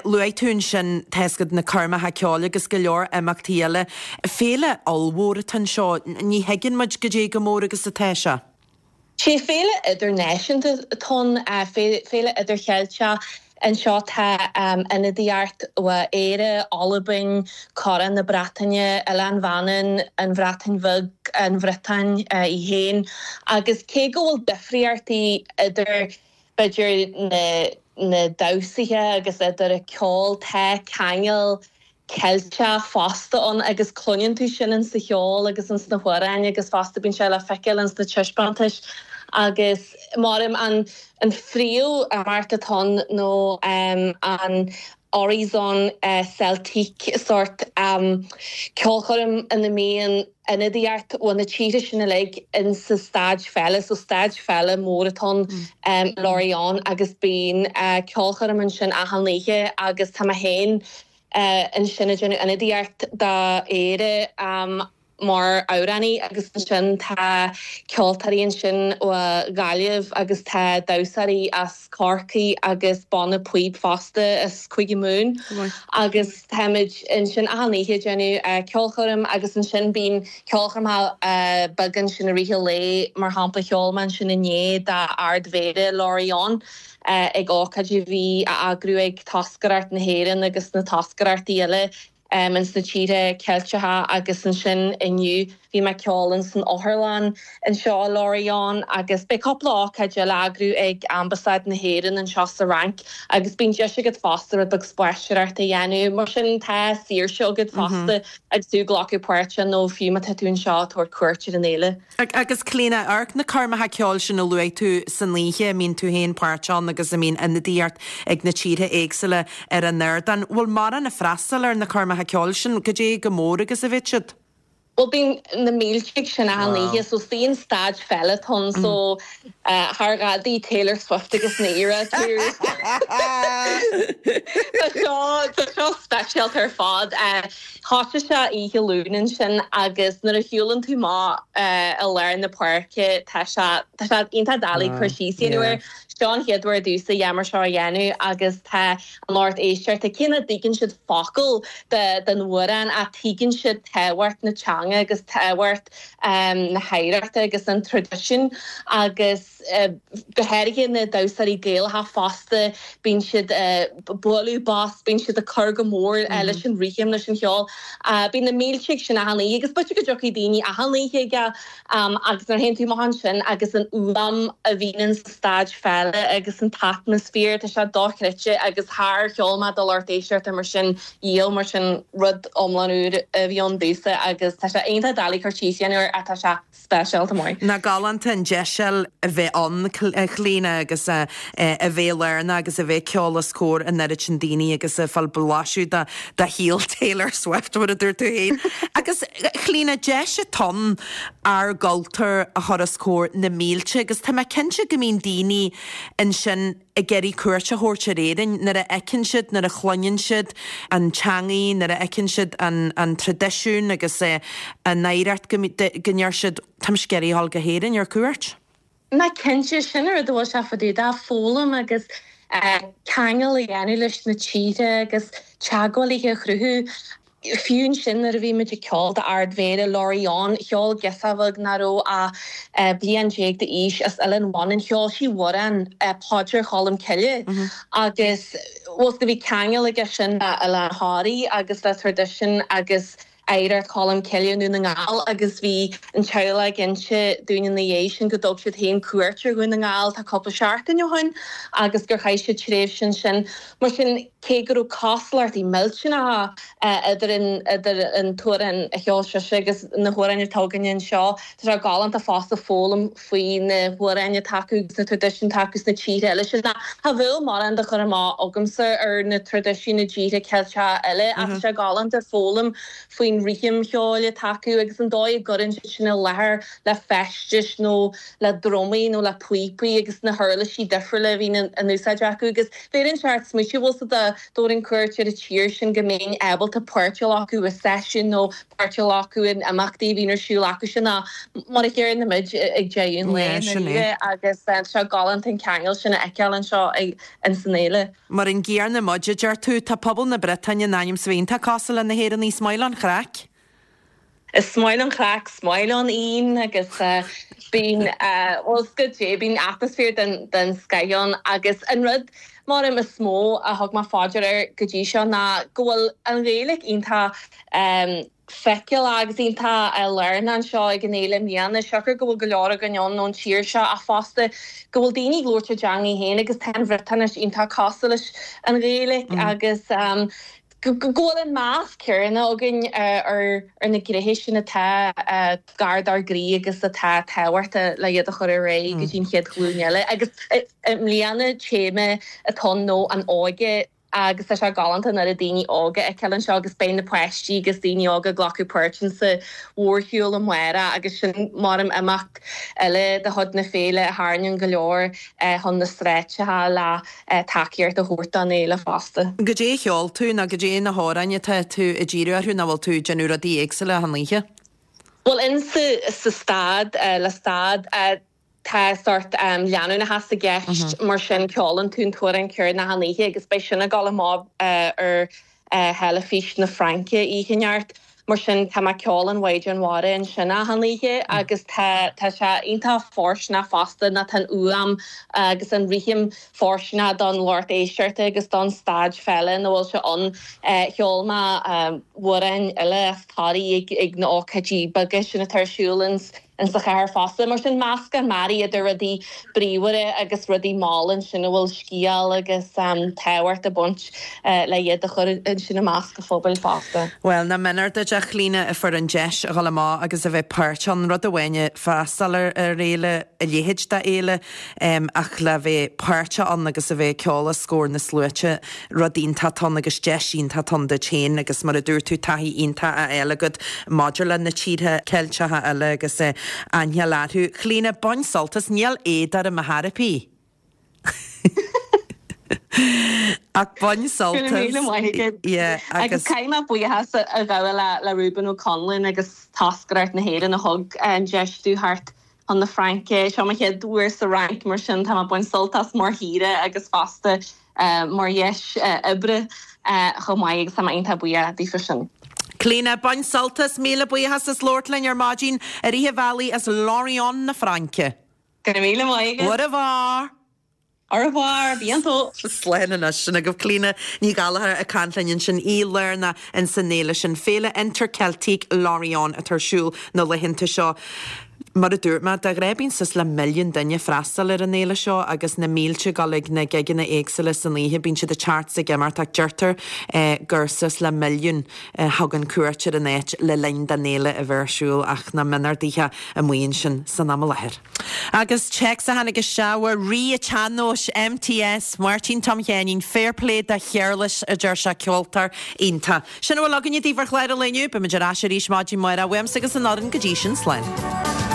luaigh tú ansin tá 'fhios agat na coirmeacha ceoil agus go leor imeachtaí eile. Féile ollmhór atá anseo, ní thuigeann muid goidé chomh mór agus atá sé. Sé féile idirnáisiúnta atá ann, féile idircheilteach. Anseo tá ionadaíocht ó Éire, Albain, Corn na Breataine, Oileán Mhanann, an Bhreatain Bheag, an Bhriotáin í féin. Agus cé go bhfuil difríochtaí idir, b'fhéidir, na damhsaithe agus idir an ceol, tá ceangal Ceilteach fosta ann agus cluineann tú sin ins sa cheol agus ins na hamhráin agus fosta bíonn sé le feiceáil ins na taispeántais agus maram an an phríomh imeacht atá ann nó an Horizon Celtique sórt ceolchoirm ina mbíonn ionadaíocht ó na tíortha sin uilig in sa staid pheile, so staid pheile mór atá ann i Lorient agus bíonn ceolchoirm ansin achan oíche agus tá mé féin ansin ag déanamh ionadaíocht d'Éire mar amhránaí agus ansin tá ceoltóirí ansin ó Ghaillimh agus tá damhsóirí as Corcaigh agus banna píob fosta as Cúige Mumhan agus táimid ansin achan oíche ag déanamh ceolchoirm agus ansin bíonn ceolchoirmeacha beaga ansin i rith an lae, mar shampla cheol mé ansin inné d'Ard-Mhéara Lorient ag ócáid a bhí á eagrú ag toscaireacht na hÉireann agus na toscaireachtaí eile. ins na tíortha Ceilteacha agus ansin inniu bhí mé ag ceol ins an otharlann anseo i Lorient agus beidh cúpla ócáid eile á eagrú ag Ambasáid na hÉireann anseo sa Fhrainc agus bíonn deis agat fosta rud beag spaisteoireachta a dhéanamh. Mar sin tá saoirse agat fosta agus tú ag glacadh páirte nó fiú má tá tú anseo ag tabhairt cuairt ar an fhéile. Agus Clíona, amharc na coirmeacha ceoil sin a luaigh tú san oíche, a mbíonn tú féin páirteach ann agus a mbíonn ionadaíocht ag na tíortha éagsúla ar an ardán. Bhfuil mórán ag freastal ar na coirmeacha ceoil sin? Goidé chomh mór agus a bheidh siad? Bhuel bíonn na mílte ag sin achan oíche so is staid pheile atá ann so thar ghadaí Taylor Swift agus na Eras Tours. Tá seo tá seo speisialta ar fad. Thosaigh sé oíche Luain ansin agus nuair a shiúlann tú amach i lár na páirce tá sé tá sé iontach doiligh cur síos a dhéanamh air. Seo an chéad uair domhsa a dhath mar seo a dhéanamh agus tá an lucht éisteachta, cé nach dtuigeann siad focal den amhrán ach tuigeann siad tábhacht na teanga. teanga agus tábhacht na hoidhreachta agus an traidisiúin agus go háirithe na damhsóirí Gaelacha fosta, bíonn siad ag bualadh bos, bíonn siad ag cur go mór leis an rithim, leis an cheol. Bíonn na mílte ag sin achan oíche agus b'fhéidir go dtiocfaidh daoine achan oíche aige agus nuair a théann tú amach ansin agus an fhuaim a bhíonn in sa staid féile agus an t-atmaisféar, tá sé dochreidte agus char cheol mé do lucht éisteachta mar sin riamh, mar sin rud iomlán úr a bhí ann domhsa agus tá sé iontach doiligh cur síos a dhéanamh air ach tá sé speisialta maith. Nach galánta an deis a bheith ann, a Chlíona, agus a bheith lárnach agus a bheith ag ceol os comhair an oiread sin daoine agus ag fáil blaiseadh de shaol Taylor Swift, mar a dúirt tú féin. Agus, a Chlíona, deis atá ann ár gcultúr a chur os comhair na mílte agus tá mé cinnte go mbíonn daoine ansin ag iarraidh cuairt a thabhairt ar Éirinn nuair a fheiceann siad, nuair a chluineann siad an teangaidh, nuair a fheiceann siad an an traidisiún agus an oidhreacht go go ndeir siad 'tá mise ag iarraidh a dhul go hÉirinn ar cuairt'. Ná cinnte, sin an rud a bhfuil sé fá dtaobh de, foghlaim agus ceangal a dhéanamh leis na tíortha agus teagmhálaithe a chruthú. Fiú ansin nuair a bhí muid ag ceol d'Ard-Mhéara Lorient, cheol girseach bheag nach raibh ach bliain déag d'aois as Oileán Mhanann, cheol sí amhrán Paidir Cholm Cille agus bhfuil 's bhí ceangal aige sin le Oileán Thoraí agus le traidisiún agus oidhreacht Cholm Cille i nDún na nGall agus bhí an teaghlach ag inse dúinn ina dhiaidh sin go dtug siad féin cuairt ar Dhún na nGall tá cúpla seachtain ó shin agus gur chaith siad tréimhse ansin. Mar sin, cé go raibh cosúlachtaí millteanacha idir an idir an t-amhrán a cheol sise agus na hamhráin atá againne anseo, tá sé galánta fosta foghlaim faoi na hamhráin atá acu agus na traidisiúin atá acu sna tíortha eile sin. Cha bheadh mórán de chur amach agamsa ar na traidisiúin i dtíortha Ceilteacha eile ach tá sé galánta foghlaim faoin rithim cheoil atá acu agus an dóigh a gcuireann siad sin i láthair le feistis nó le drumaí nó le píopaí agus na huirlisí difriúla a bhíonn in úsáid acu agus Bhéarfainn seort smaoitiú bhfuil 's agat dá dtabharfainn cuairt ar an tír sin go mbeinn ábalta páirt a ghlacadh i seisiún nó páirt a ghlacadh in imeachtaí a bhíonn ar siúl acu sin ná mar a chéanna muid ag deireadh an lae Yeah, sin é. ndáiríre agus tá sé galánta an ceangal sin a fheiceáil anseo ins an fhéile. Mar an gcéanna muid, a deir tú. Tá pobal na Briotáine in ainm 's a bheith iontach cosúil le na hÉireannaigh, is maith leo an chraic. Is maith leo an chraic, is maith leo an fhíon agus bíonn, bhuel is goidé, bíonn atmaisféar den den scoith ann agus an rud maram is mó a thug mé fá dear air go dtí seo ná go bhfuil an Ghaeilge iontach feiceálach agus iontach lárnach anseo ag an fhéile i mbliana, siocair go bhfuil go leor againn ann ón tír seo ach fosta go bhfuil daoine ag labhairt a dteangaidh féin agus tá an Bhriotáinis iontach cosúil leis an Ghaeilge agus go bhfuil an meas céanna againn ar na gnéithe sin atá gar dár gcroí agus atá tábhachtach le iad a chur ar aghaidh go dtí an chéad ghlúin eile. Agus i mbliana téama atá ann ná an óige agus tá sé galánta an oiread daoine óga a fheiceáil anseo agus beidh na páistí agus daoine óga ag glacadh páirt insa mhórshiúl amárach agus sin maram imeacht eile de chuid na féile a tharraingíonn go leor chun na sráideacha le tacaíocht a thabhairt don fhéile fosta. Goidé a cheol tú nó goidé na hamhráin atá tú ag díriú orthu nó bhfuil tú ag déanamh rudaí éagsúla achan oíche? Bhuel in sa stad, le stad, tá sórt leanúnachas i gceist mar sin ceolann tú an t-amhrán céanna achan oíche agus beidh sin ag dul amach ar theilifís na Fraince oíche anocht. Mar sin, tá mé ag ceol an Mhaighdean Mhara ansin achan oíche agus tá tá sé iontach fóirsteanach fosta ná tá an fhuaim agus an rithim fóirsteanach don lucht éisteachta agus don staid féile ina bhfuil sé ann. Cheol mé amhráin eile as Toraigh ag ag na ócáidí beaga sin atá ar siúl ins in sa chathair fosta. Mar sin, meascán mearaí idir rudaí bríomhara agus rudaí malla ansin a bhfuil scéal agus tábhacht ag baint le iad a chur ansin i measc an phobail fosta. Bhuel, nach méanar duit, a Chlíona, a fuair an deis a dhul amach agus a bheith páirteach ann. Rud amháin é freastal ar fhéile, a leithéid de fhéile, ach le bheith páirteach ann agus a bheith ag ceol os comhair na sluaite, Rud iontach atá ann agus deis iontach atá ann duit féin agus mar a dúirt tú taithí iontach á fháil agat maidir le na tíortha Ceilteacha eile agus aithne a fháil orthu. Clíona, bain sult as, níl éad orm a thairpí! Ach bain sult as. Go raibh míle maith agat. Yeah, agus. Agus caithfidh mé buíochas a ghabháil le Reuben Ó Conluain agus Toscaireacht na hÉireann a thug an deis domh theacht chun na Fraince. Seo mo chéad uair sa Fhrainc mar sin tá mé ag baint sult as mar shaoire agus fosta mar dheis oibre chomh maith agus tá mé iontach buíoch daofa sin. Clíona, bain sult as, míle buíochas as labhairt linn ar maidin i rith an bhealaigh as Lorient na Fraince. Go raibh míle maith agat. Au revoir! Au revoir, à bientôt! Slán anois. Sin agaibh Clíona Ní Ghallchóir ag caint linn ansin, í lárnach ins an fhéile sin, Féile Interceltique Lorient atá ar siúl na laethanta seo. Mar a dúirt mé, de ghnáth bíonn suas le milliún duine ag freastal ar an fhéile seo agus na mílte ag dul ag na gigeanna éagsúla san oíche. Bíonn siad ag teacht is ag imeacht ach deirtear gur suas le milliún a thugann cuairt ar an áit le linn don fhéile a bheith ar siúl ach na mionardaithe amuigh ansin san am i láthair. Agus téacs a tháinig isteach ó Rí an tSean-Nóis, MTS, Máirtín Tom Sheáinín, Fair play do Shéarlas, a deir sé, ceoltóir iontach. Sin a bhfuil againne daoibh ar chlár an lae inniu. Beimid ar ais arís maidin amárach uaimse agus an fhoireann go dtí sin, slán.